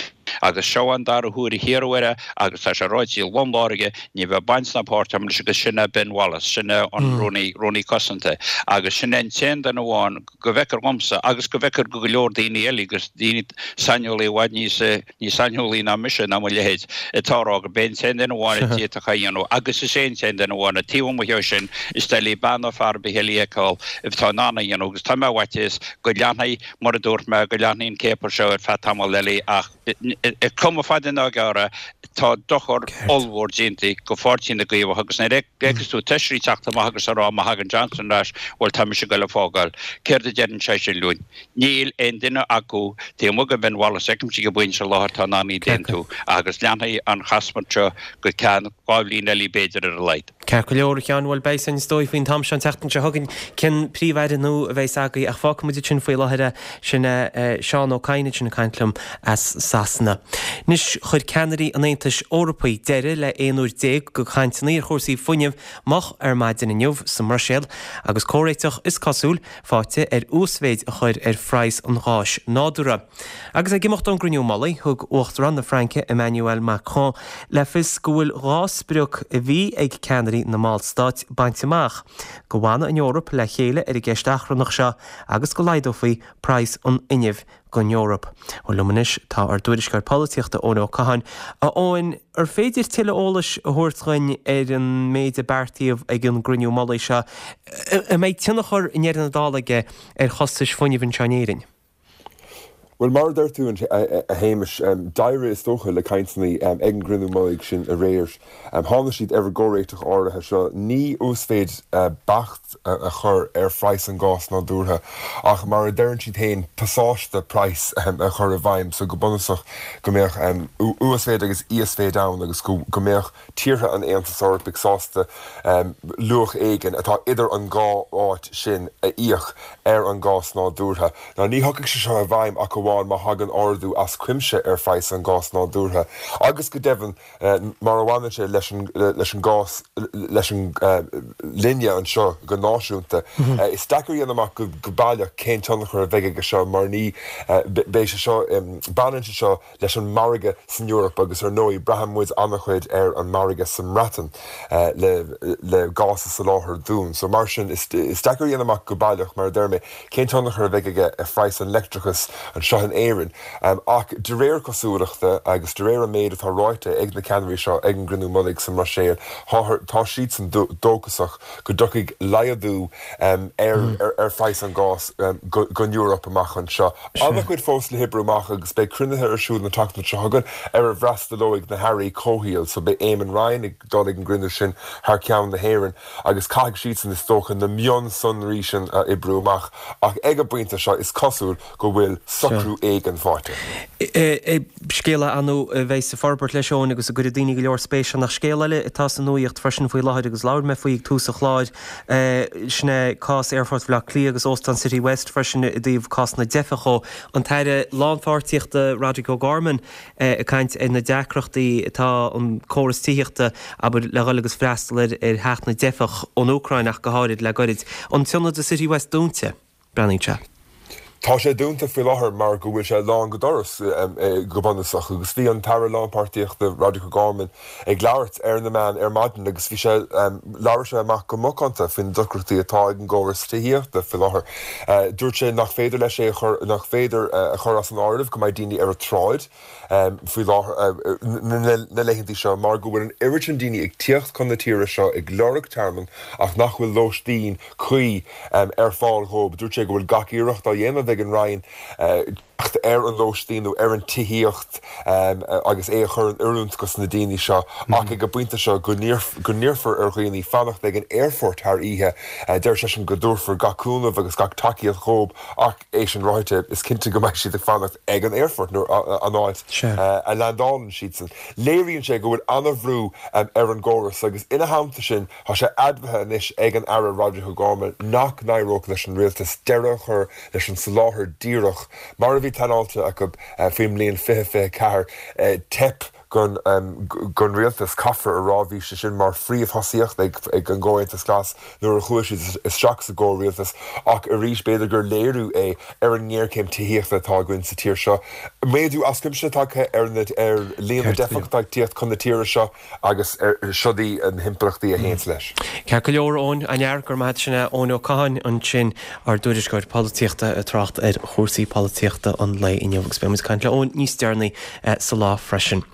S8: Agus seo an dara huair a hiarradh air é agus tá sé ráite lom láidir aige, ní bheidh baint ná páirt agam leis agus sin é Ben Wallace, sin é an Rúnaí, Rúnaí Cosanta agus sin é an t-aon duine amháin go bhfeictear dhomsa agus go bhfeictear go go leor daoine eile agus daoine saineolaí i bhfad níos, níos saineolaí ná mise ná mo leithéid atá a rá gurb é an t-aon duine amháin a d'fhéadfadh é a dhéanamh agus is é an t-aon duine amháin é. Taobh amuigh dhe sin is doiligh bean nó fear ar bith eile a fheiceáil atá in ann é a dhéanamh agus tá mé i bhfaitíos go leanfaidh, mar a dúirt mé, go leanfaidh an céapadh seo ar feadh tamall eile ach cuma fada ná gearr é, tá dochar ollmhór déanta go Pháirtí na gCaomhach agus nuair a fheiceas tú feisirí ag teacht amach agus ag rá má thagann Johnson ar ais, bhuel tá mise ag goil a fágáil. Céard a deireann sé sin linn? Níl aon duine acu taobh amuigh de Ben Wallace, feicimse ag an bpointe seo láthair atá in ann iad a aontú agus leanfaidh an chasmairt seo go ceann dhá bhliain eile b'fhéidir ar a laghad.
S1: Ceart go leor, a Sheáin, bhuel beidh a fhios againn is dóigh faoin t-am seo an tseachtain seo chugainn cén Príomh-Aire nua a bheas againn ach fágfaidh muid ansin faoi láthair é. Sin é Seán Ó Cadhain ansin ag caint liom as Sasana. Anois, chuir ceannairí an Aontais Eorpaigh deireadh le aon uair déag de chainteanna ar chúrsaí fuinnimh moch ar maidin inniu sa mBruiséil agus comhréiteach, is cosúil, faighte ar uasmhéid a chur ar phraghas an gháis nádúrtha. Agus ag imeacht ón gcruinniú mullaigh, thug Uachtarán na Fraince Emmanuel Macron le fios go bhfuil dhá sprioc a bhí ag ceannairí na mballstát bainte amach, go bhfanadh an Eoraip le chéile ar an gceist achrannach seo agus go laghdófaí praghas an fhuinnimh don Eoraip. Bhuel, liom anois tá ár dtuairisceoir polaitíochta Eoin Ó Catháin. A Eoin, ar féidir tuilleadh eolais a thabhairt dhuinn ar an méid a beartaíodh ag an gcruinniú mullaigh seo? An mbeidh tionchar i ndeireadh na dála aige ar chostais fuinnimh anseo in Éirinn?
S9: Bhuel, mar a deir tú, a Shéamais, d'éirigh, is dócha, le cainteanna ag an gcruinniú mullaigh sin aréir. Tháinig siad ar an gcomhréiteach áirithe seo, ní uasmhéid beacht a chur ar phraghas an gáis nádúrtha, ach mar a deireann siad féin, pasáiste praghais a chur i bhfeidhm, so go bunúsach go mbeadh uasmhéid agus íosmhéid ann agus go mbeadh tíortha an Aontais Eorpaigh sásta luach éigin atá idir an dhá áit sin a íoc ar an gás nádúrtha. Now ní thiocfaidh sé seo i bhfeidhm ach amháin má thagann ardú as cuimse ar phraghas an gáis nádúrtha agus go deimhin mar a bhaineann sé leis an leis an gcás leis an linne anseo go náisiúnta. Is deacair a dhéanamh amach go baileach cén tionchar a bheidh aige seo mar ní beidh sé seo baineann sé seo leis an margadh san Eoraip agus ar ndóigh braitheann muid an-chuid ar an margadh sa mBreatain le le gás a soláthar dúinn. So mar sin is is deacair a dhéanamh amach go baileach, mar a deir mé, cén tionchar a bheidh aige ar phraghas an leictreachais anseo in Éirinn. Ach de réir cosúlachta agus de réir an méid atá ráite ag na ceannairí seo ag an gcruinniú mullaigh sa mBruiséil, tá siadsan dóchasach go dtiocfaidh laghdú ar ar phraghas an gáis don Eoraip amach anseo. An-chuid fós le hoibriú amach agus beidh cruinnithe ar siúl an tseachtain seo chugainn ar a bhfreastalóidh na hairí comhshaoil. So beidh Eamon Ryan ag dul ag an gcruinniú sin thar ceann na hÉireann agus caithfidh siadsan is dócha na mionsonraí sin a oibriú amach ach ag an bpointe seo is cosúil go bhfuil socrú éigin faighte.
S1: Scéal ar ndóigh a bheidh ag forbairt leis Eoin agus a gcuirfidh daoine go leor spéis ann ach scéal eile atá sa nuaíocht freisin faoi láthair agus labhair mé faoi ag tús an chláir, sin é cás Aerfort Bhaile Átha Cliath agus Óstán City West freisin i dtaobh cás na dteifeach dhó. An tAire Lánpháirtíochta Roderic O'Gorman ag caint ar na deacrachtaí atá an córas tithíochta, abair, le dhul agus freastal ar theacht na dteifeach ón Úcráin ach go háirid le goirid. An t-ionad i City West dúnta, breathnaíonn sé.
S9: Tá sé dúnta faoi láthair mar go bhfuil sé lán go doras go bunúsach agus bhí an tAire Lánpháirtíochta Roderic O'Gorman ag labhairt ar na meáin ar maidin agus bhí sé labhair sé amach go macánta faoi na deacrachtaí atá ag an gcóras tithíochta faoi láthair. Dúirt sé nach féidir leis é a chur nach féidir a chur as an áireamh go mbeidh daoine ar an tsráid faoi láthair na laethanta seo mar go bhfuil an oiread sin daoine ag tíocht chun na tíre seo ag lorg tearmann ach nach bhfuil lóistín cuí ar fáil dhóibh. Dúirt sé go bhfuil gach iarracht á dhéanamh ag an Roinn teacht ar an lóistín nó ar an tithíocht agus é a chur in oiriúint dos na daoine seo ach ag an bpointe seo go n-iarrfar ar dhaoine fanacht ag an aerfort thar oíche. Deir seisean go dtabharfar gach cúnamh agus gach tacaíocht dhóibh ach é sin ráite is cinnte go mbeidh siad ag fanacht ag an aerfort nó an áit a landálann siadsan. Léiríonn sé go bhfuil an-bhrú ar an gcóras agus ina theannta sin tá sé admhaithe anois ag an Aire Roderic O'Gorman nach n-éireodh leis an rialtas deireadh a chur leis an soláthar díreach mar a bhí pleanáilte acu faoin mbliain fiche fiche ceathair. Teip gon gon rialtas, caithfear a rá, bhí sé sin mar phríomhthosaíocht ag ag an gComhaontas Glas nuair a chuaigh siad isteach sa gcomhrialtas ach arís b'fhéidir gur léiriú é ar an ngéarchéim tithíochta atá againn sa tír seo. Méadú as cuimse tagtha ar na ar líon na dteifeach atá ag tíocht chun na tíre seo agus siod í na himpleachtaí a théanns leis.
S1: Ceart go leor, Eoin, an fhear go raibh maith agat. Sin é Eoin Ó Catháin ansin, ár dtuairisceoir polaitíochta ag trácht ar chúrsaí polaitíochta an lae inniu agus beidh muid ag caint le Eoin níos deireanaí sa lá freisin.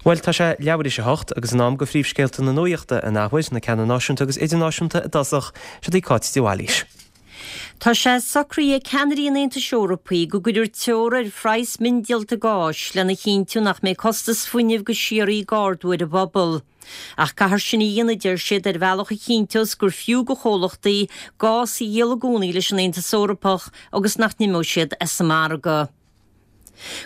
S1: Bhuel, tá sé leathuair théis a hocht agus in am go phríomhscéalta na nuachta an athuair, na ceanna náisiúnta agus idirnáisiúnta i dtosach, siod í Cáit de Bhailís.
S2: Tá sé socraithe ag ceannairí an Aontais Eorpaigh go gcuirfear teora ar phraghas miondíolta gáis lena chinntiú nach mbeidh costas fuinnimh go síoraí ag ardú ar an bpobal. Ach caithfear sin a dhéanamh, a deir siad, ar bhealach a chinnteos gur fiú go chomhlachtaí gás a dhíol i gcónaí leis an Aontas Eorpach agus nach n-imeoidh siad as an margadh.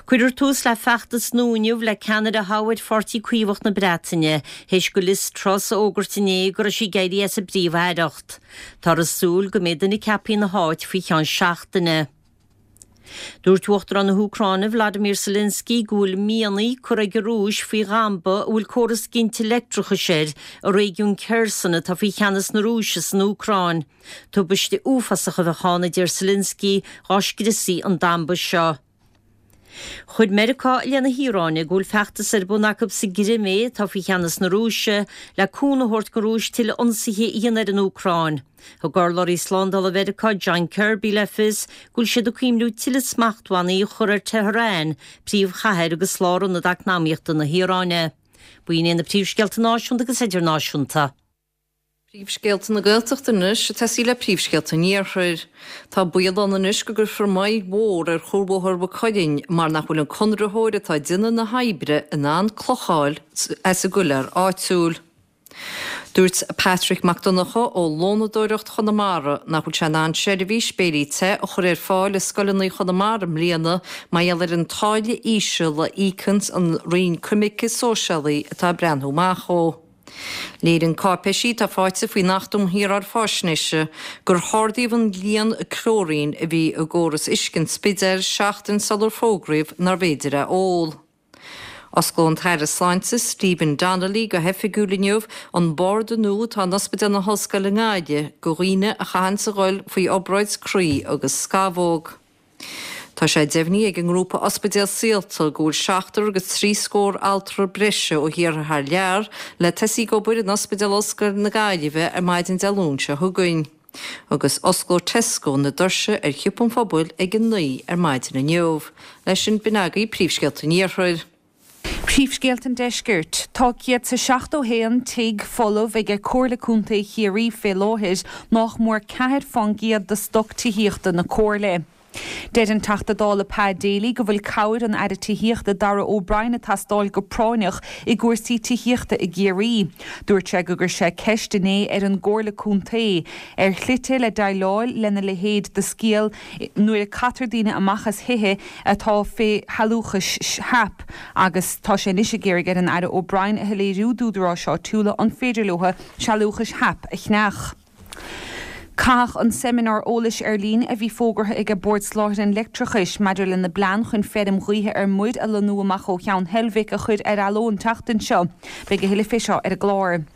S2: Cuirfear tús le feachtas nua inniu le ceannaire a thoghadh ar Pháirtí Caomhach na Breataine, théis go Liz Truss a fhógairt inné go raibh sí ag éirí as an bPríomh-Aireacht. Táthar ag súil go mbeidh duine ceaptha ina háit faoi cheann seachtaine. Dúirt Uachtarán na hÚcráine Vladimir Zelensky go bhfuil mianaigh curtha ag an Rúis faoi dhamba a bhfuil córas ginte leictreachais air i réigiún Kherson atá faoi cheannas na Rúise san Úcráin. Tubaiste uafásach a bheadh ann, a deir Zelensky, dhá scriosfaí an damba seo. Chuir Meiriceá i leith na hIaráine go bhfuil feachtas ar bun acu sa gCrimé, atá faoi cheannas na Rúise, le cúnamh a thabhairt don Rúis tuilleadh ionsaithe a dhéanamh ar an Úcráin. Thug urlabhraí slándála Mheiriceá, John Kirby, le fios go bhfuil siad ag cuimhniú tuilleadh smachtbhannaí a chur ar Tehran, príomhchathair agus lárionad eacnamaíochta na hIaráine. B'in iad na príomhscéalta náisiúnta agus idirnáisiúnta.
S3: Príomhscéalta na Gaeltachta anois, ag tosaí le príomhscéalta an Iarthair. Tá baol ann anois go gcuirfear moill mhór ar Chuarbhóthar Mhaigh Cuilinn mar nach bhfuil an conraitheoir atá ag déanamh na hoibre in ann cloch a fháil as an gcoileár áitiúil. Dúirt Patrick Mac Donncha ó Lónadóireacht Chonamara nach bhfuil sé in ann seirbhís béilí te a chur ar fáil i scoileanna Chonamara i mbliana mar gheall ar an táille íseal a íocanns an Roinn Coimirce Sóisialaí atá ag breathnú amach dhó. Léiríonn cáipéisí atá faighte faoin Acht um Shaoráil Faisnéise gur hardaíodh an líon clóirín a bhí i gcóras uisce an Spidéil seachtain sular fógraíodh nárbh fhéidir é a ól. Osclóidh an tAire Sláinte Stephen Donnelly go hoifigiúil inniu an barda nua atá in Ospidéal na hOllscoile i nGaillimh do dhaoine a chaitheanns a dhul faoi obráid croí agus scamhóg. Tá sé deimhnithe ag an ngrúpa Ospidéal Saolta go bhfuil seachtar agus trí scór altra breise ó thíortha thar lear le tosaí ag obair in Ospidéal Ollscoile na Gaillimhe ar maidin Dé Luain seo chugainn. Agus osclóidh Tesco na doirse ar Shiopa an Phobail ag a naoi ar maidin inniu. Leis sin, b'in agaibh príomhscéalta an Iarthair.
S5: Príomhscéalta an Deiscirt. Tá céad 's a seachtó haon tigh folamh ag Comhairle Contae Chiarraí fé láthair, nách mór ceathair fán gcéad de stoc tithíochta na Comhairle. Deir an Teachta Dála Pa Daly go bhfuil cabhair an Aire Tithíochta Darragh O'Brien ag teastáil go práinneach i gcúrsaí tithíochta i gCiarraí. Dúirt sé go gcuir sé ceist inné ar an gComhairle Contae ar shlite le déileáil lena leithéid de scéal nuair a caitear daoine amach as thithe atá fé shealúchas SHAP agus tá sé anois ag iarraidh ar an Aire O'Brien a shoiléiriú d'údaráis áitiúla an féidir leo sealúchais SHAP a cheannach. Caitheadh an seimineár eolais ar líne a bhí fógartha ag Bord Soláthair an Leictreachais maidir lena bplean chun feirm ghaoithe ar muir a lonnú amach ó Cheann Heilbhic a chur ar athló an tseachtain seo. Beidh a thuilleadh fé seo ar an gclár.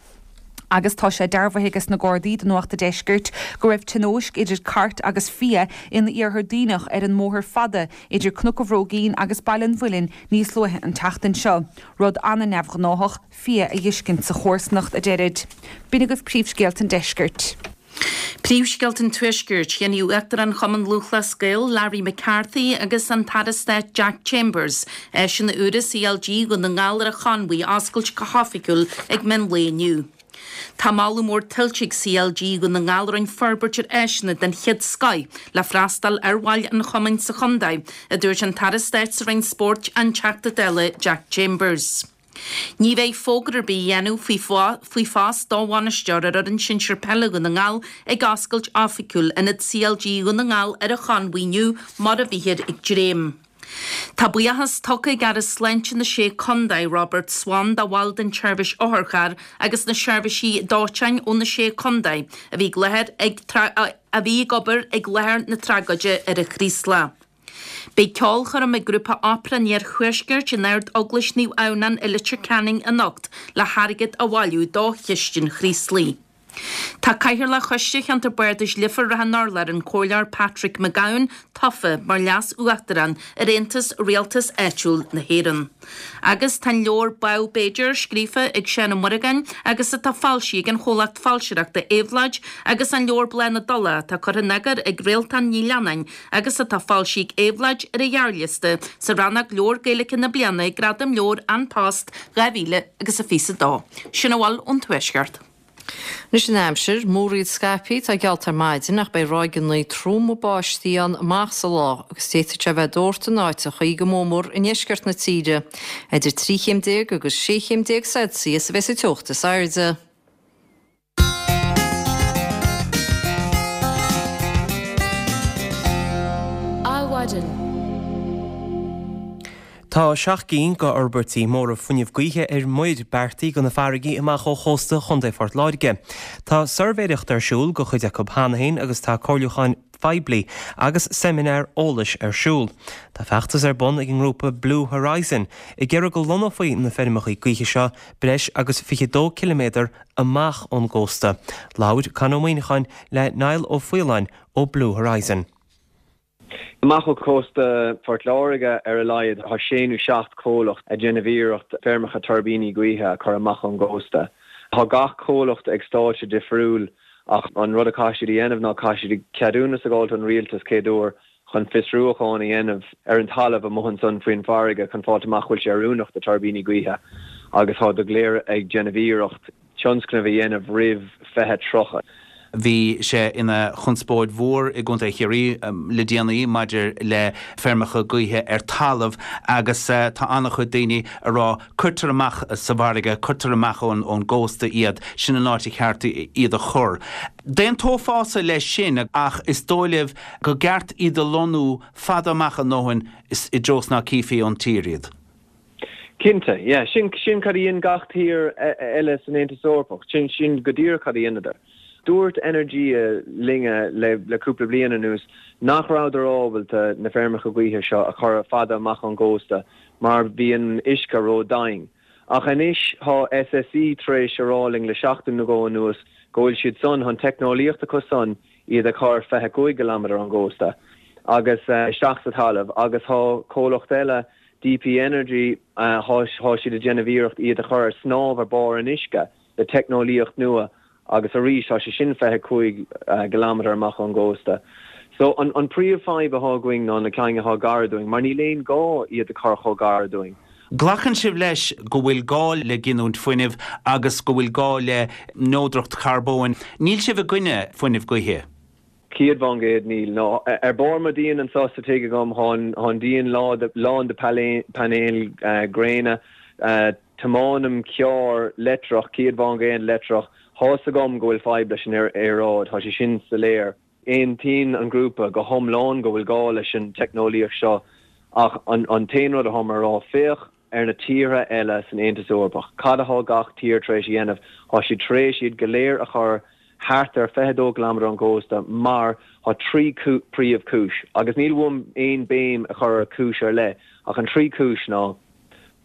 S5: Agus tá sé dearbhaithe ages na Gardaí do Nuacht a' Deiscirt go raibh tionóisc idir cairt agus fia in iarthar Duibhneach ar an mbóthar fada idir Cnoc an Bhróigín agus Baile an Mhuilinn níos luaithe an tseachtain seo. Rud an-neamhghnách fia a fheiscint sa chomharsanacht a deirid. B'in agaibh príomhscéalta an deiscirt.
S4: Príomhscéalta an Tuaiscirt, Dhéanfaidh Uachtarán Chumann Lúthchleas Gael, Larry McCarthy agus an tAire Stáit Jack Chambers áiseanna úra CLG Dhún na nGall ar an Chonmhaigh a oscailt go hoifigiúil ag meán lae inniu. Tá moladh mór tuillte ag CLG Dhún na nGall a rinne forbairt ar áiseanna den chéad scoth le freastal ar bhaill an chumainn sa chontae, a dúirt an tAire Stáit sa Roinn Spóirt, an Teachta Dála Jack Chambers. Ní bheidh fógra ar bith á dhéanamh faoi phost do bhainisteoir ar fhoireann sinsir peile Dhún na nGall ag oscailt oifigiúil Ionad CLG Dhún na nGall ar an Chonmhaigh inniu mar a bhíthear ag dréim. Tá buíochas tugtha ag Aire Sláinte na Sé Contae, Robert Swan, do bhaill den tseirbhís otharcharr agus na seirbhísí dóiteáin ó na Sé Contae a bhí ag láthair ag a bhí ag obair ag láthair na tragóide ar an Chraoslach. Beidh ceolchoirm ag grúpa Opera an Iarthuaiscirt in Ard-Eaglais Naomh Adhamhnán i Leitir Ceanainn anocht le hairgead a bhailiú do Chistin Chraoslaigh. Tá Cathaoirleach Choiste Cheantar Bardais Leifear-Ráth an Urláir, an Comhairleoir Patrick McGowan, tofa mar Leas-Uachtarán ar Aontas Rialtas Áitiúil na hÉireann. Agus tá an leabhar Badhbh B'fhéidir, scríofa ag Seán Ó Muireagáin agus atá foilsithe ag an chomhlacht foilsitheoireachta Éabhlóid agus an leabhar Bláth na dTulach atá curtha in eagar ag Réaltán Ní Leannáin agus atá foilsithe ag Éabhlóid ar an ghearrliosta sa rannóg Leabhar Gaeilge na Bliana ag Gradaim Leabhar An Post dhá mhíle agus a fiche a dó. Sin a bhfuil ón Tuaisceart.
S3: Anois an aimsir, múraíl scaipthe atá geallta ar maidin ach beidh ráigeanna troma báistí ann amach sa lá agus d'fhéadfadh sé a bheith doirte in áiteachaí go mór i ndeisceart na tíre. Idir trí chéim déag agus sé chéim déag Celsius a bheas an teocht is airde.
S6: Adhmhaidin.
S1: Tá seacht gcinn d'fhorbairtí móra fuinnimh gaoithe ar muir beartaithe do na farraigí amach ó chósta Chontae Phort Láirge. Tá suirbhéireacht ar siúl do chuid acu cheana féin agus tá comhairliúcháin phoiblí agus seimineáir eolais ar siúl. Tá feachtas ar bun ag an ngrúpa Blue Horizon ag iarraidh go lonnófaí na feirmeacha gaoithe seo breis agus fiche dó ciliméadar amach ón gcósta. Labhair Con Ó Muíneacháin le Niall Ó Faoláin ó Blue Horizon.
S10: Amach ó chósta Phort Láirge ar a laghad tá sé nó seacht comhlacht ag déanamh iarracht feirmeacha tuirbíní gaoithe a chur amach ón gcósta. Tá gach comhlacht ag stáitse difriúil ach an rud a chaithfidh siad a dhéanamh ná caithfidh siad ceadúnas a fháil ón rialtas chéad uair chun fiosrúchán a dhéanamh ar an talamh amuigh ansan faoin bhfarraige chun fáilt amach bhfuil sé oiriúnach do tuirbíní gaoithe agus tá go léir ag déanamh iarracht tionscnamh a dhéanamh roimh fiche tríocha.
S11: Bhí sé ina chonspóid mhór i gContae Chiarraí le déanaí maidir le feirmeacha gaoithe ar talamh agus tá an-chuid daoine ag rá cuirtear amach sa bhfarraige, cuirtear amach ón ón gcósta iad, sin an áit a cheart iad a chur. D'aontófása leis sin ach is dóigh libh go gceart iad a lonnú fada amach a ndóthain i dtreo is ná cífí ón tír iad.
S10: Cinnte, yeah. Sin sin cad a dhein gach tír eile san Aontas Eorpach. Sin sin go díreach cad a dheineadar. Dúirt Energia linne le le cúpla bliain anuas nach rabhadar ábalta na feirmeacha gaoithe seo a chur fada amach ón gcósta mar bhí an uisce ró-domhain. Ach anois tá S S E tar éis a rá linn le seachtain nó dhó anuas go bhfuil siad san, an teicneolaíocht acu san iad a chur fiche cúig gcileámeadar ón gcósta agus isteach sa talamh agus tá comhlacht eile D P Energy, tá siad ag déanamh iarracht iad a chur ar snámh ar barr an uisce le teicneolaíocht nua agus arís tá sé sin fiche cúig gcileámeadar amach ón gcósta. So an an príomhfhadhb atá againn ná na cinn atá gar dúinn mar níl aon gá iad a chur chomh gar dúinn.
S11: Glacann sibh leis go bhfuil gá le giniúint fuinnimh agus go bhfuil gá le neodracht charbóin. Níl sibh i gcoinne fuinneamh gaoithe?
S10: Céad faoin gcéad níl. No. Ar barr mo díon anseo sa tigh agam tá an díon lán de painéil gréine. Tiomáinim carr leictreach, céad faoin gcéad leictreach. Tá's agam go bhfuil fadhb leis an aeráid, tá sé sin soiléir. Aontaíonn an grúpa go hiomlán go bhfuil gá leis an teicneolaíocht seo ach an t-aon rud atá mé a rá, féach ar na tíortha eile san Aontas Eorpach. Cad atá gach tír tar éis a dhéanamh? Tá siad tar éis iad go léir a chur thart ar fiche dó gcileámeadar ón gcósta mar tá trí príomhchúis, agus níl uaim aon béim a chur ar chúis ar leith, ach an trí chúis ná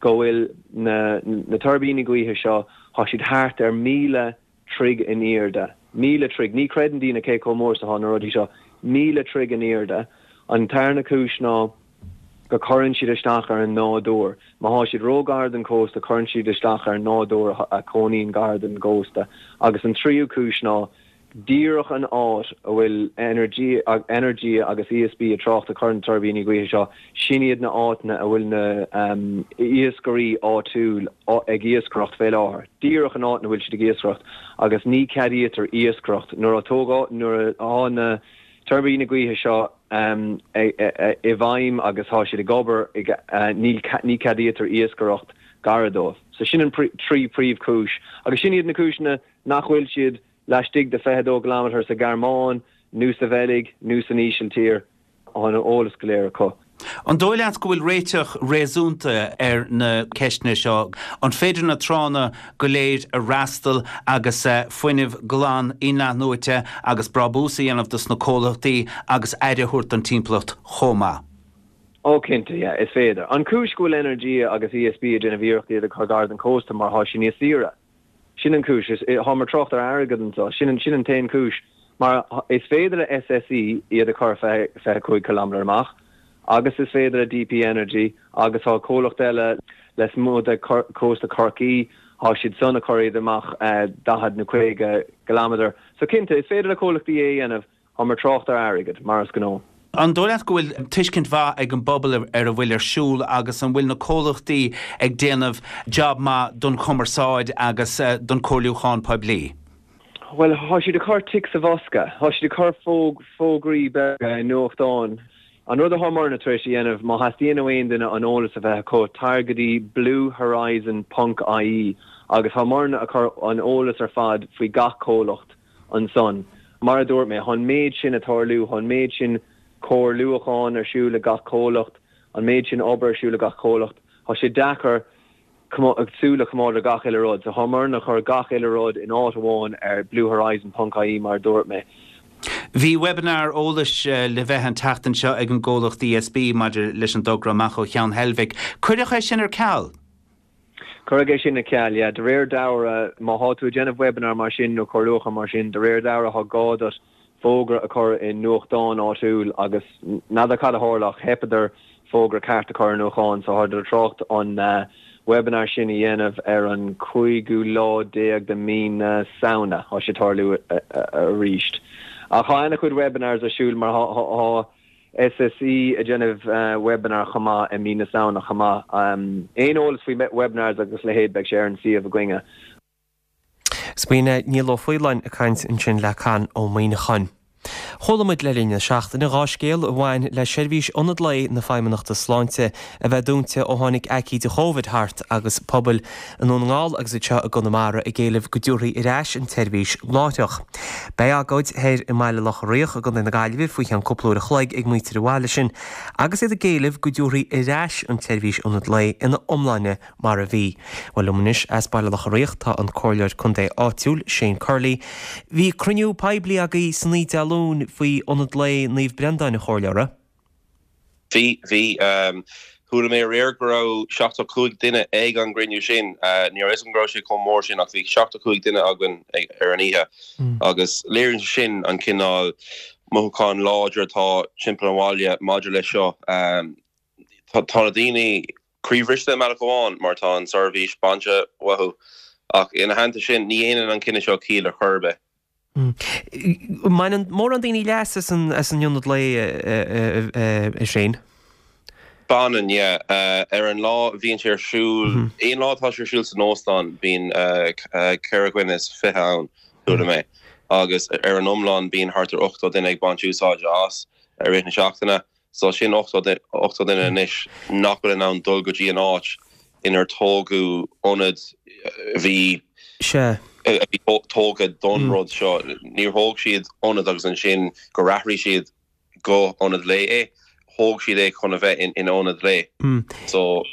S10: go bhfuil na na tuirbíní gaoithe seo, tá siad thart ar míle troigh in airde. Míle troigh. Ní chreideann daoine cé chomh mór is atá na rudaí seo. Míle troigh in airde. An tarna cúis ná go cuireann siad isteach ar an nádúr. Má thá siad ró-ghar don chósta cuireann siad isteach ar an nádúr a chónaíonn gar don gcósta. Agus an tríú cúis ná díreach an áit a bhfuil Energia agus ESB ag trácht ag cur na tuirbíní gaoithe seo, sin iad na áiteanna a bhfuil na iascairí áitiúil ag iascaireacht fé láthair. Díreach an áit ina bhfuil siad ag iascaireacht agus ní ceadaítear iascaireacht nuair a tógadh, nuair atá na tuirbíní gaoithe seo i bhfeidhm agus tá siad ag obair, ní ceadaítear iascaireacht gar dóibh. So sin an trí príomhchúis agus sin iad na cúiseanna nach bhfuil siad laistigh de fiche dó gcileámeadar sa Ghearmáin nó sa Bheilg nó san Ísiltír. Tá an eolas go léir acu.
S11: An dóigh leat go bhfuil réiteach réasúnta ar na ceisteanna seo? An féidir na tránna go léir a fhreastal agus fuinneamh glan in-athnuaite agus brabús a dhéanamh dos na comhlachtaí agus aire a thabhairt don timpeallacht chomh maith?
S10: Ó cinnte, yeah, is féidir. An chúis go bhfuil Energia agus ESB ag déanamh iarracht iad a chur gar don chósta mar thá sé níos saoire. Sin an chúis. Táimid ag trácht ar airgead anseo. Sin an, sin an t-aon chúis. Mar is féidir le SSE iad a chur fiche cúig kilometre amach agus is féidir le DP Energy agus tá comhlacht eile lasmuigh de chósta Chorcaí, tá siad san ag cur iad amach daichead nó caoga kilometre. So cinnte, is féidir le comhlachtaí é a dhéanamh. Táimid ag trácht ar airgead, mar is gnách.
S11: An dóigh leat go bhfuil tuiscint mhaith ag an bpobal ar a bhfuil ar siúl agus an bhfuil na comhlachtaí ag déanamh jab maith don chumarsáid agus don chomhairliúchán poiblí?
S10: Bhuel, tá siad ag cur tic sa bhosca. Tá siad ag cur fógraí beaga i nuachtáin. An rud atá muidne tar éis a dhéanamh, má theastaíonn ó aon duine an eolas a bheith acu, tar go dtí bluehorizon ponc ie agus tá muidne ag cur an eolas ar fad faoi gach comhlacht ansan. Mar a dúirt mé, tá an méid sin ag tarlú, tá an méid sin comhairliúchán ar siúl ag gach comhlacht, an méid sin obair ar siúl ag gach comhlacht, tá sé deacair súil a choimeád ar gach uile rud. So tá muidne ag cur gach uile rud in áit amháin ar bluehorizon ponc ie mar a dúirt mé.
S11: Bhí webinar eolais le bheith an tseachtain seo ag an gcomhlacht ESB maidir leis an dtogra amach ó Cheann Heilbhic. Cuireadh é sin ar ceal?
S10: Cuireadh é sin ar ceal, yeah. De réir dealraimh, má thá tú ag déanamh webinar mar sin nó comhairliúchán mar sin, de réir dealraimh thá gá duit fógra a chur i nuachtán áitiúil agus n'fheadar cad a tharla ach theipeadar fógra ceart a chur i nuachtán so thádar ag trácht an webinar sin a dhéanamh ar an cúigiú lá déag de mí na Samhna. Thá sé ag tarlú arís. Ach thá ana-chuid webinars ar siúl mar thá SSE ag déanamh webinar chomh maith i mí na Samhna chomh maith. Aon eolas faoi webinars agus leithéid beidh sé ar an suíomh againne.
S1: B'in é Niall Ó Faoláin ag caint ansin le Conn Ó Muíneacháin. Chuala muid le linn na seachtaine dhá scéal a bhain le seirbhís ionad lae na Feidhmeannachta Sláinte a bheith dúnta ó tháinig aicíd Chóvid thart agus pobail i nDún na nGall agus anseo i gConamara ag éileamh go dtabharfaí ar ais an tseirbhís láithreach. Beidh agóid thoir i mBaile Locha Riach i gContae na Gaillimhe faoi cheann cúpla uair a chloig ag muintir an bhaile sin agus iad ag éileamh go dtabharfaí ar ais an tseirbhís ionad lae ina iomláine mar a bhí. Bhuel liom anois as Baile Locha Riach tá an Comhairleoir Contae áitiúil, Shane Curley. Bhí cruinniú poiblí agaibh san oíche Dé Luain faoi Ionad Lae Naomh Breandáin, a Chomhairleora.
S12: Bhí, bhí. Chuala mé aréir go raibh seachtó cúig duine ag an gcruinniú sin. Ní raibh a fhios agam go raibh sé chomh mór sin ach bhí seachtó cúig duine againn ar an oíche agus léiríonn sé sin an cineál mothúchán láidir atá timpeall an bhaile maidir leis seo. Tá na daoine croíbhriste i mbealach amháin mar tá an tseirbhís bainte uathu ach ina theannta sin ní dhéanann an cinneadh seo ciall ar chor ar bith.
S1: Mbaineann mórán daoine leas as an ionad lae, a Shane?
S12: Baineann, yeah. Ar an lá a bhíonn sé ar siúl, aon lá atá sé ar siúl san óstán bíonn ceithre dhuine is fiche ann, chuala mé, agus ar an iomlán bíonn thart ar ochtó duine ag baint úsáide as i rith na seachtaine. So sin ochtó duine anois nach bhfuil in ann dul go dtí an áit inar tógadh ionad a bhí a bhí tógtha don rud seo. Níor thóg siad ionad agus ansin gur athraigh siad go ionad lae é. Thóg siad é chun a bheith ina ionad lae. So.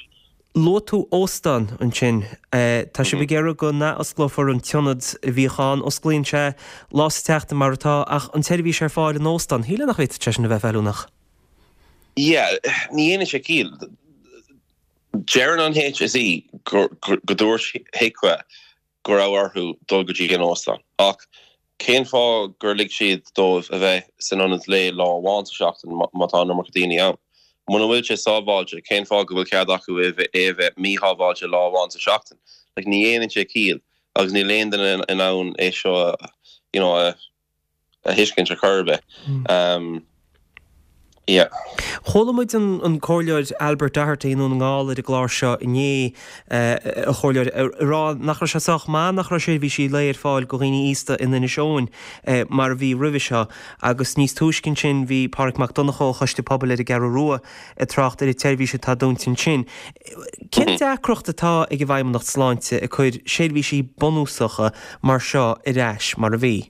S1: Luaigh tú óstán ansin. Tá sibh ag iarraidh go n-athosclófar an t-ionad a bhíodh ann. Osclaíonn sé lá sa tseachtain mar atá, ach an tseirbhís ar fáil in óstán, shílfeá nach bhféadfadh sé sin a bheith feiliúnach.
S12: Yeah, ní dhéanann sé ciall. Deireann an HSE go dúirt HIQA go raibh orthu dul go dtí an óstán. Ach cén fáth gur lig siad dóibh a bheith san ionad lae lá amháin sa seachtain má tá an iomarca daoine ann? Muna bhfuil sé sábháilte, cén fáth go bhfuil cead acu é a bheith míshábháilte lá amháin sa seachtain? Like, ní dhéanann sé ciall agus níl aon duine in ann é seo you know, a a thuiscint ar chor ar bith. Um, yeah.
S1: Chuala muid an an Comhairleoir Albert Doherty i nDún na nGall ar an gclár seo inné, a Chomhairleoir, ag rá nach raibh sé sách maith nach raibh seirbhísí lae ar fáil go dhaoine aosta in Inis Eoghain mar a bhí roimhe seo agus níos túisce ansin bhí Pádraig Mac Donncha ó Choiste Pobail ar an gCeathrú Rua ag trácht ar an tseirbhís atá dúnta ansin. Cén deacracht atá ag an bhFeidhmeannacht Sláinte ag cur seirbhísí bunúsacha mar seo ar ais mar a bhí?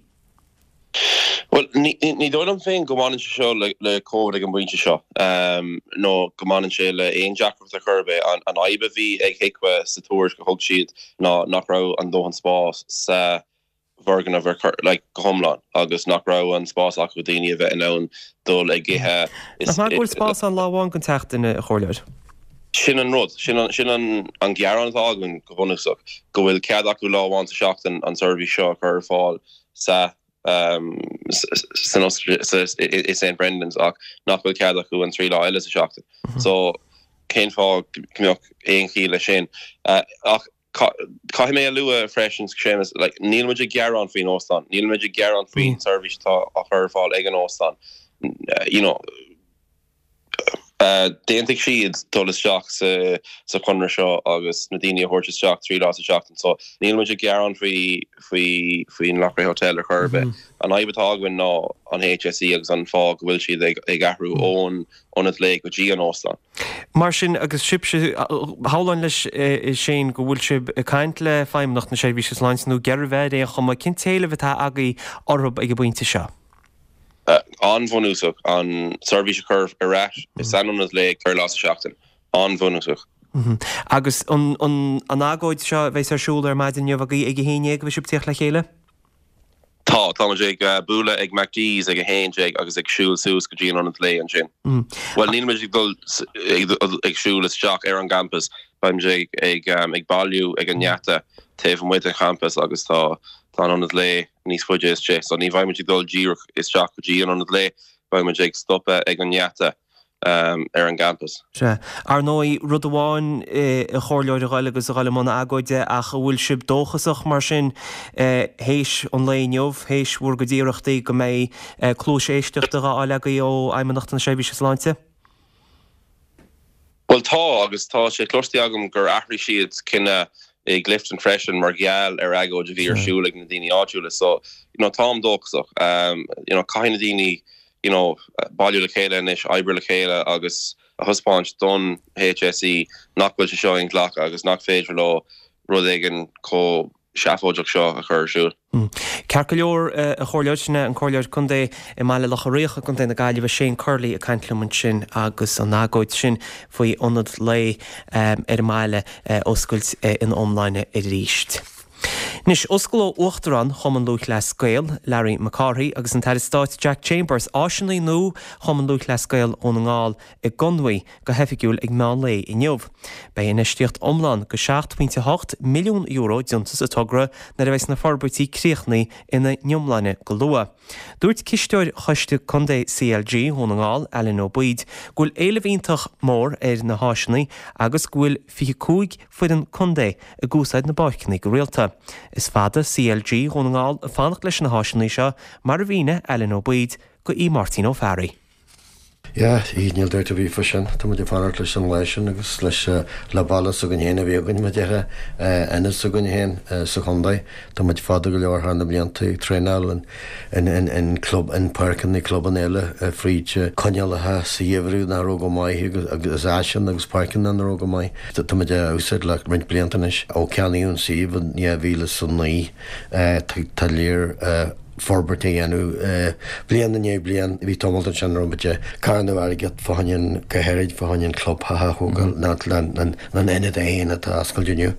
S12: Bhuel, ní dóigh liom féin go mbaineann sé seo le Covid ag an bpointe seo, nó go mbaineann sé le aon deacracht ar chor ar bith. An fhadhb a bhí ag HIQA sa tuairisc a thug siad ná nach raibh an dóthain spás sa bhfoirgneamh ar chor, like, go hiomlán agus nach raibh an spás acu daoine a bheith in ann dul ag ithe.
S1: Nach maith go bhfuil spás ann lá amháin den tseachtain, a Chomhairleoir?
S12: Sin an rud, sin an an gearán atá againn go bunúsach, go bhfuil cead acu lá amháin sa seachtain an seirbhís seo a chur ar fáil sa san i Saint Brendan's ach nach bhfuil cead acu an trí lá eile sa seachtain. So cén fáth go mbeadh aon chiall leis sin? Ach caithfidh mé a lua freisin, Séamus, like, níl muid ag gearán faoin óstán, níl muid ag gearán faoin seirbhís atá á chur ar fáil ag an óstán. You know, D'aontaigh siad dul isteach sa chonradh seo agus na daoine a thabhairt isteach trí lá sa tseachtain so níl muid ag gearán faoi faoi faoin Loughrea Hotel ar chor ar bith. An fhadhb atá againn ná an HSE agus an fáth go bhfuil siad ag ag athrú ón ionad lae go dtí an óstán.
S1: Mar sin, agus sibhse, shamhlóinn leis sin go bhfuil sibh ag caint le Feidhmeannacht na Seirbhíse Sláinte nó ag iarraidh a bheith ar aon chuma, cén t-éileamh atá agaibh orthu ag an bpointe seo?
S12: An-bhunúsach, an seirbhís a chur ar ais san ionad lae ceithre lá sa seachtain. An-bhunúsach.
S1: Agus an agóid seo a bheas ar siúl ar maidin inniu agaibh ag a haon déag, a bheidh sibh ag tíocht le chéile?
S12: Tá, tá muid ag bualadh ag McDee's ag a haon déag agus ag siúl suas go dtí an ionad lae ansin. Bhuel, níl muid ag dul ag siúl isteach ar an gcampas, beidh muid ag ag bailiú ag an ngeata taobh amuigh den champas agus tá Tá an ionad lae níos faide istigh, so ní bheidh muid ag dul díreach isteach go dtí an ionad lae, beidh muid ag stopadh ag an ngeata ar an gcampas.
S1: Sea. Ar ndóigh, rud amháin a chomhairleoir a ghoil agus a ghoil i mbun agóide ach an bhfuil sibh dóchasach mar sin théis an lae inniu, théis bhur gcuid iarrachtaí go mbeidh cluais éisteachta dhá fháil agaibh ó Fheidhmeannacht na Seirbhíse Sláinte?
S12: Bhuel tá, agus tá sé cloiste agam gur athraigh siad cinneadh i gClifton freisin mar gheall ar agóid a bhí ar siúl ag na daoine áitiúla. So, you know, táim dóchasach. You know, caithfidh na daoine, you know, bailiú le chéile anois, oibriú le chéile agus a thaispeáint don HSE nach bhfuil sé seo inghlactha agus nach féidir leo rud éigin chomh seafóideach seo a chur ar siúl.
S1: Ceart go leor, a Chomhairleoir, sin é an Comhairleoir Contae i mBaile Locha Riach i gContae na Gaillimhe, Shane Curley ag caint liom ansin agus an agóid sin faoi ionad lae ar an mbaile a oscailt ina iomláine arís. Anois, osclóidh Uachtarán Chumann Lúthchleas Gael, Larry Mac Cárthaigh agus an tAire Stáit Jack Chambers áiseanna nua Chumann Lúthchleas Gael Dhún na nGall i gConmhaigh go hoifigiúil ag meán lae inniu. Beidh infheistíocht iomlán de seacht pointe hocht milliún euro déanta sa togra nuair a bheas na forbairtí críochnaithe ina n-iomláine go luath. Dúirt cisteoir Choiste Contae CLG Dhún na nGall, Alan Ó Baoid, go bhfuil éileamh iontach mór ar na háiseanna agus go bhfuil fiche cúig foireann contae ag úsáid na bpáirceanna go rialta. Is fada CLG Dhún na nGall ag fanacht leis na háiseanna seo, mar a mhínigh Alan Ó Baoid go aoi Máirtín Ó Fearraigh.
S13: Yeah, níl dabht ar bith faoi sin. Tá muid ag fanacht leis an lá sin agus leis le baile s'againn féin a bheith againn, mar a déarfá, ionad s'againn féin sa chontae. Tá muid fada go leor thar na blianta ag traenáil in in in club in páirceanna clubanna eile fríd coinníollacha sa gheimhreadh nach raibh go maith agus áiseanna agus páirceanna nach raibh go maith. Tá muid á úsáid le roinnt blianta anois. Ó ceannaíodh an suíomh in dhá mhíle is a naoi tá léir forbairt a dhéanamh bliain i ndiaidh bliain. Bhí tamall ansin a raibh muid ag carnadh airgead fá choinne an, go háirid fá choinne an clubtheach a thógáil, nó an ionad é féin atá oscailte inniu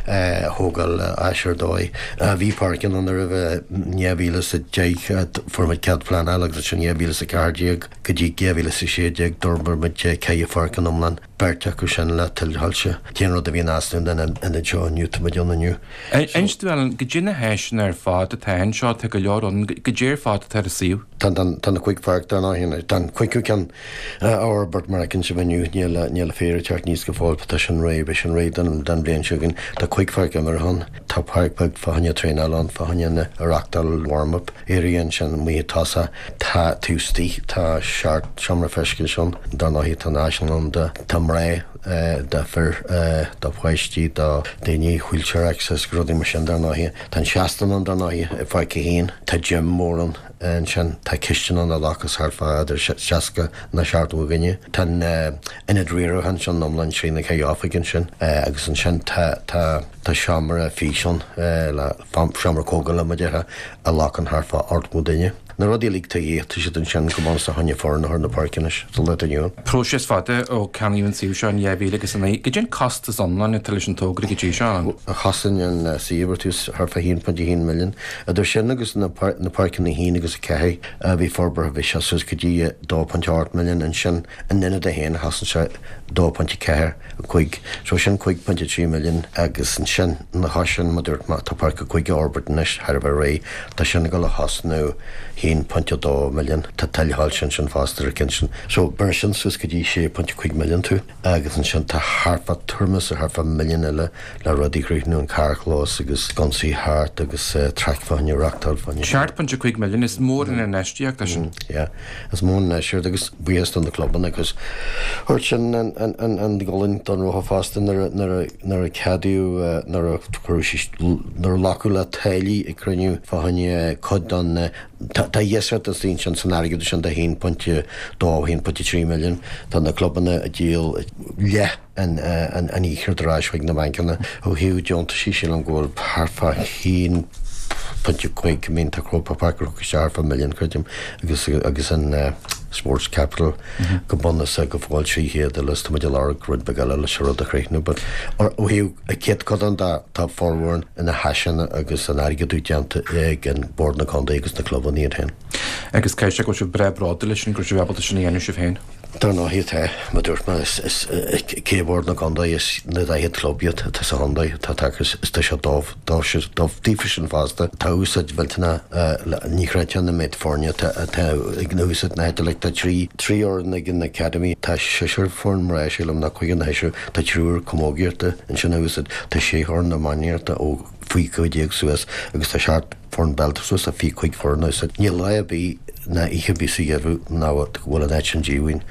S13: a thógáil áis ar dóigh. Bhí páirceanna ann roimhe, in dhá mhíle is a deich fuair muid cead pleanála agus ansin dhá mhíle is a ceathair déag go dtí dhá mhíle is a sé déag d'fhorbair muid ceithre pháirc in iomlán. Beirt acu sin le tuilshoilse. An t-aon rud a bhí in easnamh den ionad seo inniu, tá muid ann inniu.
S14: Inis dom, Alan, goidé na háiseanna ar fad atá anseo, tá go leor ann, goidé ar fad atá ar an suíomh.
S13: Tá tá na cúig pháirc dar ndóigh, tá an cúigiú ceann á fhorbairt mar a fheiceann sibh inniu, níl níl an féar ag teacht aníos go fóill, tá sin réidh, beidh sin réidh don don bhliain seo chugainn. Tá cúig pháirc imeartha ann, tá páirc bheag fá choinne traenáil ann, fá choinne na reachtáil warm-up, area ansin amuigh i dtosach, tá taobh istigh, tá seacht seomra feistis ann, dar ndóigh tá an áislann ann do tá mná, do fir, do pháistí, do daoine, wheelchair access, rudaí mar sin dar ndóigh. Tá an seastán ann dar ndóigh i bPáirc a haon, tá gym mór ann ansin, tá cistin ann a ghlacfas thart fá idir seasca nó seachtó dhuine. Tá an ionad riaracháin ansin iomlán trí na ceithre oifig ansin agus ansin tá tá tá seomra físeán le seomra comhdhála mar a déarfá a ghlacann thart fá ochtó duine. Na rudaí uilig atá dhíth, tá siad ansin go bunúsach fá choinne foireann a chur na páirce anois sa lá atá inniu ann.
S14: Próiseas fada ó ceannaíodh an suíomh seo in dhá mhíle agus a naoi. Goidé an costas iomlán atá leis an togra go dtí seo ann?
S13: Chosain an suíomh ar tús thart fá haon pointe haon milliún. Idir sin agus na páirceanna a haon agus a ceathair a bhí forbartha bhí sé suas go dtí dó pointe ocht milliún. Ansin an ionad é féin chosain sé dó pointe ceathair cúig. So sin cúig pointe trí milliún agus ansin ina chois sin mar a dúirt mé tá páirc a cúig á fhorbairt anois thar a bheith réidh. Tá sin ag dul a thosnú haon pointe dó milliún. Tá tuilshoilse ansin fosta ar an gceann sin. So beireann sin suas go dtí sé pointe cúig milliún tú agus ansin tá thart fá tuairim is thart fá milliún eile le rudaí a chríochnú, an carrchlós agus sconsaí thart agus traic fá choinne reachtáil fá choinne.
S14: Seacht pointe cúig milliún, is mór an infheistíocht é sin.
S13: Yeah, is mór an infheistíocht agus buíochas do na clubanna agus thug sin an an an an gualainn don rotha fosta nuair a nuair a nuair a ceadaíodh nuair a cuireadh nuair a glacadh le táillí ag cruinniú fá choinne cuid den tá tá dheisceart is ansin san airgead sin de haon pointe dó haon pointe trí milliún tá na clubanna ag díol leath an an an fhiachra ar ais chuig na bancanna. Ó thaobh deontaisí sílim go bhfuil thart fá haon pointe cúig I mean tá Croke Park ag isteach thart fá milliún creidim agus agus an Sports Capital go bunúsach go fóill trí chéad eile is tá muid ag lorg rud beag eile leis an rud a chríochnú but ó thaobh an chéad codán de tá formhór na háiseanna agus an airgeadú déanta ag an Bord na Contae agus na clubanna iad féin.
S14: Agus caithfidh sé go bhfuil sibh breá bródúil leis sin go raibh sibh ábalta sin a dhéanamh sibh féin.
S13: Dar ndóigh tá, mar a dúirt mé, is is cé Bord na Contae is na daichead club iad atá sa chontae atá tagtha is tá sé dóibh dóibh siad dóibh daofa sin fosta. Tá úsáid mhillteanach ní chreidfeá an méid foirne atá atá ag na úsáid na háite like tá trí trí fhoireann ag an Academy tá seisear foireann mná sílim nó cúigear nó seisear tá triúr camógaíochta ansin a úsáid tá sé fhoireann iománaíochta ó faoi cúig déag suas agus tá seacht foireann peile suas le fiche cúig foireann a Níl lá ar bith ná oíche ar bith sa gheimhreadh nach bhfuil an áit sin díomhaoin.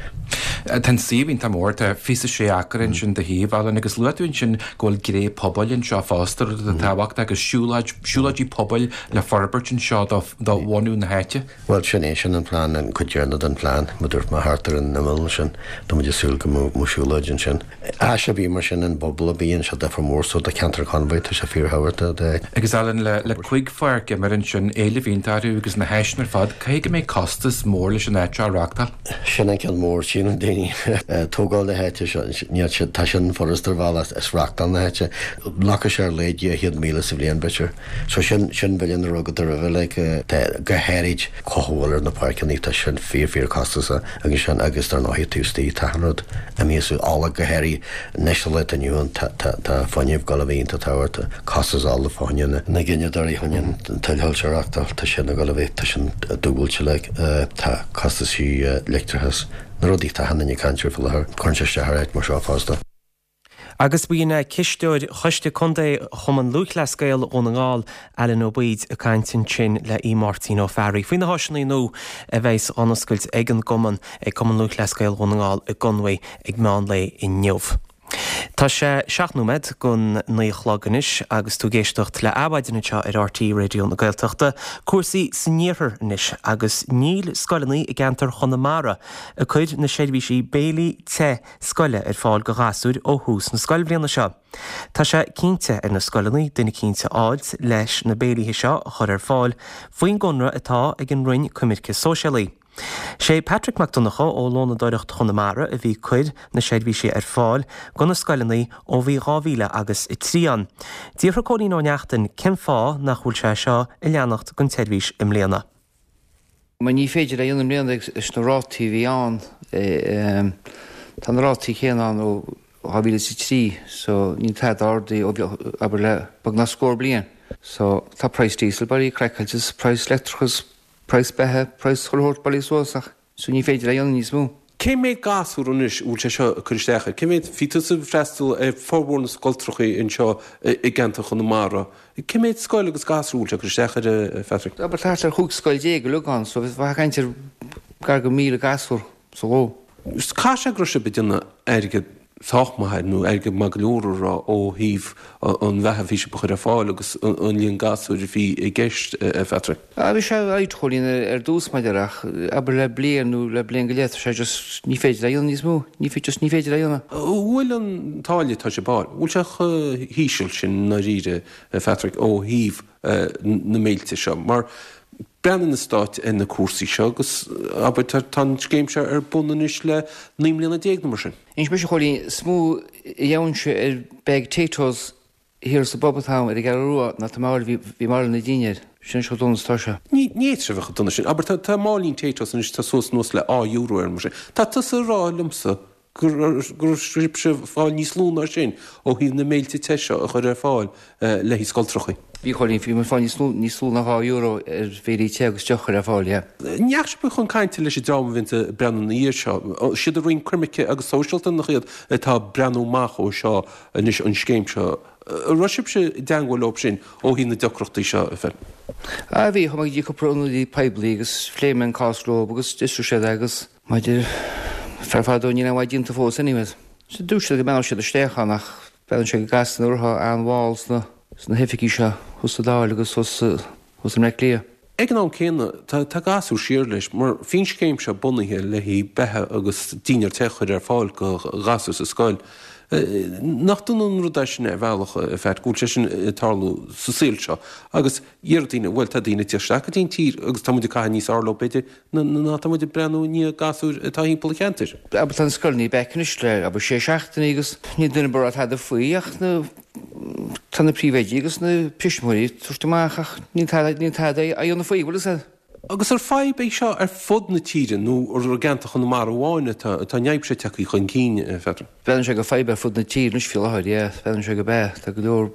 S14: Tá an suíomh iontach mór, tá fiche a sé acra ansin de shuíomh, Alan, agus luaigh tú ansin go bhfuil gné pobail anseo fosta, rud atá tábhachtach, agus siúlóid, siúlóidí pobail le forbairt anseo do, do bhunú na háite.
S13: Bhuel, sin é, sin an plean, an cuid deireanach den phlean, mar a dúirt mé, thart ar an imeall ansin, tá muid ag súil go mbeadh siúlóid ansin. Áis a bhí mar sin, an bpobal a bhí anseo difear mór so do cheantar Chonmhaigh, tá sé fíorthábhachtach do.
S14: Agus Alan, le, le cúig pháirc imeartha ansin, éileamh iontach orthu agus na háiseanna ar fad, caithfidh go mbeidh costas mór leis an áit seo a reachtáil.
S13: Sin an ceann mór, síleann daoine. Tógáil na háite seo, níl sé, tá sin furast ar bhealach, is reachtáil na háite. Glacfaidh sé ar a laghad dhá chéad míle sa bhliain b'fhéidir. So sin, sin billiún a raibh agat roimhe, like, tá, go háirid cothabháil ar na páirceanna, tá sin fíor, fíor costasach agus sin, agus dar ndóigh taobh istigh, tá an rud imithe as ola go háirithe anois sa lá atá inniu ann, tá, tá, tá fuinneamh ag dul a bheith iontach tábhachtach, costas ola fá choinne na, na gineadóirí chun an tuilshoilse a reachtáil, tá sin ag dul a bheith, tá sin dúbailte like, tá costaisí leictreachais, na rudaí atá achan duine ag caint air faoi láthair, cuireann sé isteach ar áit mar seo fosta.
S1: Agus b'in cisteoir Choiste Contae Chumann Lúthchleas Gael Dhún na nGall, Alan Ó Baoid, ag caint ansin le Aodh Máirtín Ó Fearraigh faoi na háiseanna nua a bheas á n-oscailt ag an gcumann, ag Cumann Lúthchleas Gael Dhún na nGall i gConmhaigh ag meán lae inniu. Tá sé seacht nóiméad gon naoi a chlog anois agus tú ag éisteacht le Adhmhaidin anseo ar RTÉ Raidió na Gaeltachta. Cúrsaí san iarthar anois agus níl scoileanna i gceantar Chonamara ag cur na seirbhísí béilí te scoile ar fáil go ghasúir ó thús na scoilbhliana seo. Tá sé cinnte ar na scoileanna duine eicínt a fháilt leis na béilithe seo a chur ar fáil faoin gconradh atá ag an Roinn Coimirce Sóisialaí. Sé Patrick Mac Donncha ó Lónadóireacht Chonamara a bhí ag cur na seirbhísí ar fáil go na scoileanna ó bhí dhá mhíle agus a trí ann. D'fhiafraigh Cóilín Ó Neachtain cén fáth nach bhfuil sé seo ag leanacht gon tseirbhís i mbliana.
S15: Mar ní féidir é a dhéanamh i mbliana leis na rátaí a bhí ann. Tá na rátaí céanna ann ó dhá mhíle is a trí so níl tada ardaithe ó abair le beagnach scór bliain. So tá praghas diesel bailithe craiceáilte, praghas leictreachas, praghas beatha, praghas chuile shórt bailithe suas ach so ní féidir é a dhéanamh níos mó.
S16: Cé mhéad gasúr anois a bhfuil sé seo ag cur isteach air? Cé mhéad, bhí tusa ag freastal ar formhór na scoltrachaí anseo i gceantar Chonamara. Cé mhéad scoil agus gasúr a bhfuil sé ag cur isteach air, a Phatrick?
S15: Abair thart ar chúig scoil déag uilig ann so bheifeá ag caint ar gar go míle gasúr sa ló.
S16: Caithfidh sé go raibh sibh ag déanamh airgead sách maith air, nó airgead maith go leor a rá, ó thaobh an bheatha a bhí sibh a chur ar fáil agus an líon gasúir a bhí i gceist, a Phatrick.
S15: Ah, bhí sé alright a Chóilín ar dtús maidir ach abair le bliain nó le bliain go leith tá sé just ní féidir é a dhéanamh níos mó, ní just ní féidir é a dhéanamh.
S16: An bhfuil an táille atá sibh a fháil, an bhfuil sé chomh híseal sin i ndáiríre, a Phatrick, ó thaobh na mbéiltí seo? Mar breathnaíonn na Stáit ar na cúrsaí seo agus, abair, tá an scéim seo ar bun anois le naoi mbliana déag nó mar sin.
S15: Inis mise a Chóilín, is mó a gheobhainnse ar bag Taytos thiar sa bpub atá ar an gCeathrú Rua ná tá mé a fháil, bhí mé a fháil na dinnéir. Sin chomh dona is atá sé.
S16: Ní fhéadfadh sé a bheith chomh dona sin. Abair, tá máilín Taytos anois, tá suas anuas le dhá euro air mar sin. Tá tusa ag rá liomsa go raibh sibhse ag fáil níos lú ná sin ó thaobh na mbéilte te seo a chur ar fáil le haghaidh scoltrachaí.
S15: Bhí, a Chóilín, bhí muid ag fáil níos lú, níos lú ná dhá euro ar bhéilí te agus deoch a chur ar fáil, yeah.
S16: An ndeachaigh sibh chun cainte leis an dream a bhíonns ag breathnú ina dhiaidh seo? Siad an Roinn Coimirce agus Sóisialta nach iad atá ag breathnú amach ó seo anois an scéim seo. An raibh sibhse i dteangmháil leo sin ó thaobh na deacrachtaí seo, a Phil?
S15: Ah bhí, chuaigh mé go dtí cúpla ionadaí poiblí agus phléigh mé an cás leo agus d'fhiosraigh siad é agus maidir Fear fadó níl aon mhaith déanta fós anyways. So dúirt siad go mbeannódh siad isteach ann ach breathnaíonn sé go gasta orthu an-mhall sna sna hoifigí seo thuas sa Dáil agus thuas thuas i mBleá Cliath.
S16: Ag an am céanna tá tá gasúir siar leis mar bhí an scéim seo bunaithe le haghaidh beatha agus dinnéar te a chur ar fáil go ghasúir sa scoil. Nach dona an rud é sin ar bhealach a Phat go bhfuil sé sin ag tarlú sa saol seo agus Déarfadh daoine, bhuel, tá daoine ag tíocht isteach go dtí an tír agus tá muid ag caitheamh níos fearr leo, b'fhéidir, ná tá muid ag breathnú i ndiaidh gasúir atá thimpeall an cheantair.
S15: Abair tá na scoileanna back anois le, abair, sé seachtainí agus níl duine ar bith ag rá tada faoi ach na, tá na príomhoidí agus na tuismitheoirí ag tabhairt amach ach níl tada, níl tada á dhéanamh faoi, bhfuil fhios a'd.
S16: Agus ar fadhb é seo ar fud na tíre nó ar i gceantar Chonamara amháin atá an fhadhb seo tagtha chun cinn, a Pheadair?
S15: Breathnaíonn sé gur fadhb ar fud na tíre anois faoi láthair, yeah, breathnaíonn sé gurb ea, tá go leor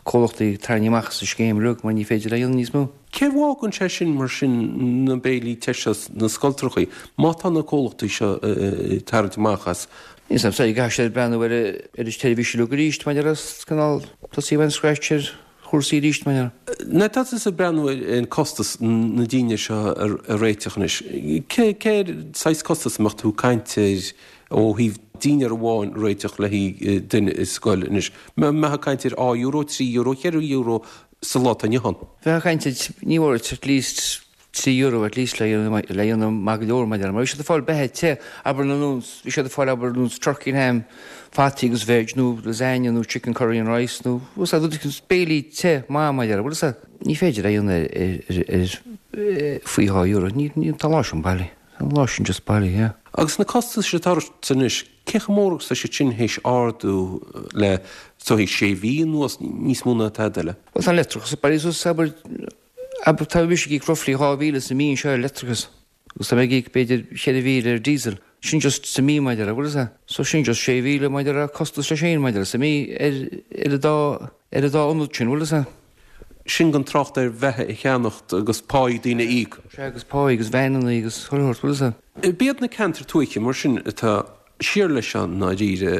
S15: comhlachtaí ag tarraingt amach as an scéim uilig mar ní féidir é a dhéanamh níos mó.
S16: Cé bhfágann sé sin mar sin na béilí te seo sna scoltrachaí má tá na comhlachtaí seo ag tarraingt amach as?
S15: Níl 's a'm, so caithfidh siad breathnú ar ar an tseirbhís uilig arís mar ar cineál tosaí ón scratch ar chúrsaí arís mar ar.
S16: Nuair atá tusa ag breathnú ar an costas na dinnéir seo a réiteach anois, cé cé saghas costas a mbeadh tú ag caint air ó thaobh dinnéar amháin a réiteach le haghaidh duine i scoil anois, mbeifeá ag caint ar dhá euro, trí euro, cheithre euro sa lá atá inniu ann.
S15: Bheifeá ag caint ar, ní mór at least trí euro at least le dhéanamh maith go leor mar mar bhí siad ag fáil beatha te, abair na nós, bhí siad ag fáil abair nós turkey and ham, fataí agus veg nó lasagne nó chicken curry and rice nó bhfuil a fhios a'd béilí te maith mar bhfuil a fhios a'd. Ní féidir é a dhéanamh ar ar faoi dhá euro, ní tá an lá sin bailí. An lá sin just bailí, yeah.
S16: Agus na costais atá ort anois, cé chomh mór agus tá siad sin théis ardú le is dóigh sé mhí anuas, níos mó ná tada eile?
S15: Bhuel tá an leictreachas bailí suas, abair, abair tá mise ag íoc roughly dhá mhíle sa mí anseo ar leictreachas agus tá mé ag íoc b'fhéidir cheithre mhíle ar diesel. Sin just sa mí maidir le, bhfuil a fhios a'd? So sin just sé mhíle maidir le costas leis féin maidir le sa mí ar, ar an dá, ar an dá ionad sin, bhfuil a fhios a'd?
S16: Sin gan trácht ar bheatha a cheannacht agus páí daoine a íoc.
S15: Sea, agus páí agus veaineanna agus chuile shórt, bhfuil a fhios a'd.
S16: B'iad na ceantair tuaithe mar sin atá siar leis seo i ndáiríre,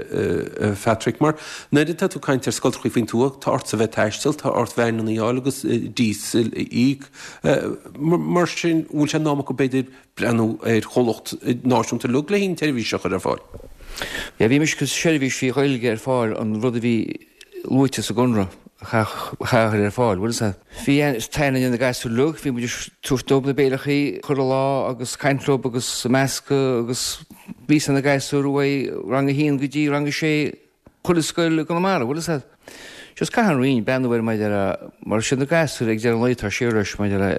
S16: a Phatrick, mar nuair atá tú ag caint ar scoltrachaí faoin tuath, tá ortsa bheith ag taisteal, tá ort veaineanna a fháil agus díosal a íoc. Mar sin, bhfuil sé in am acu b'fhéidir breathnú ar chomhlacht náisiúnta uilig le haghaidh an tseirbhís seo a chur ar fáil?
S15: Yeah, bhí mise seirbhísí Gaeilge ar fáil an rud a bhí luaite sa gconradh a chur ar fáil, bhfuil a Bhí taine na gasúir uilig, bhí muid tabhairt dóibh na béileachaí chuile lá agus caint leo agus meascadh agus bhí na gasúir uaidh rang a haon go dtí rang a sé chuile scoil i gConamara, bhfuil a Just caithfidh an Roinn breathnú air maidir le mar sin na gasúir ag deireadh an lae tá siar leis maidir le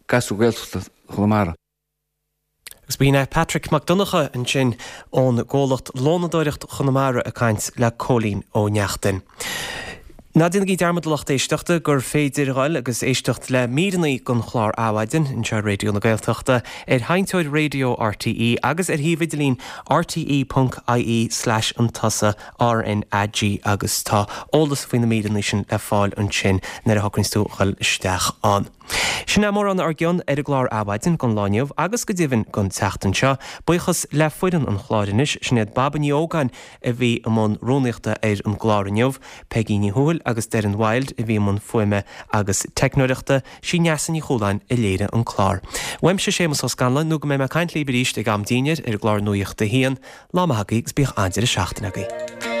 S15: gasúir Gaeltachta Chonamara.
S1: Agus b'in é Patrick Mac Donncha ansin ón gcomhlacht Lónadóireacht Chonamara ag caint le Cóilín Ó Neachtain. Ná déanaigí dearmad a lucht éisteachta gur féidir dhul agus éisteacht le míreanna den chlár Adhmhaidin anseo ar Raidió na Gaeltachta ar sheinnteoir raidió RTÉ agus ar shuíomh idirlín rte.ie slash an tusa RNAG agus tá eolas faoi na míreanna sin le fáil ansin nuair a shocraíonn tú dhul isteach ann. Sin é mórán ár gcion ar an gclár Adhmhaidin don lá inniu agus go deimhin don tseachtain seo. Buíochas le foireann an chláir anois sin iad Baba Ní Ógáin a bhí i mbun rúnaíochta ar an gclár inniu, Peggy Ní Thuathail agus Darren Wild a bhí i mbun fuaime agus teicneoireachta, sí Neasa Ní Chualáin a léirigh an clár. Uaimse Séamus Ó Scanláin nó go mbeidh mé ag caint libh arís ag am dinnéir ar an gclár Nuacht a hAon, lá maith agaibh agus bíodh an-deireadh seachtaine agaibh.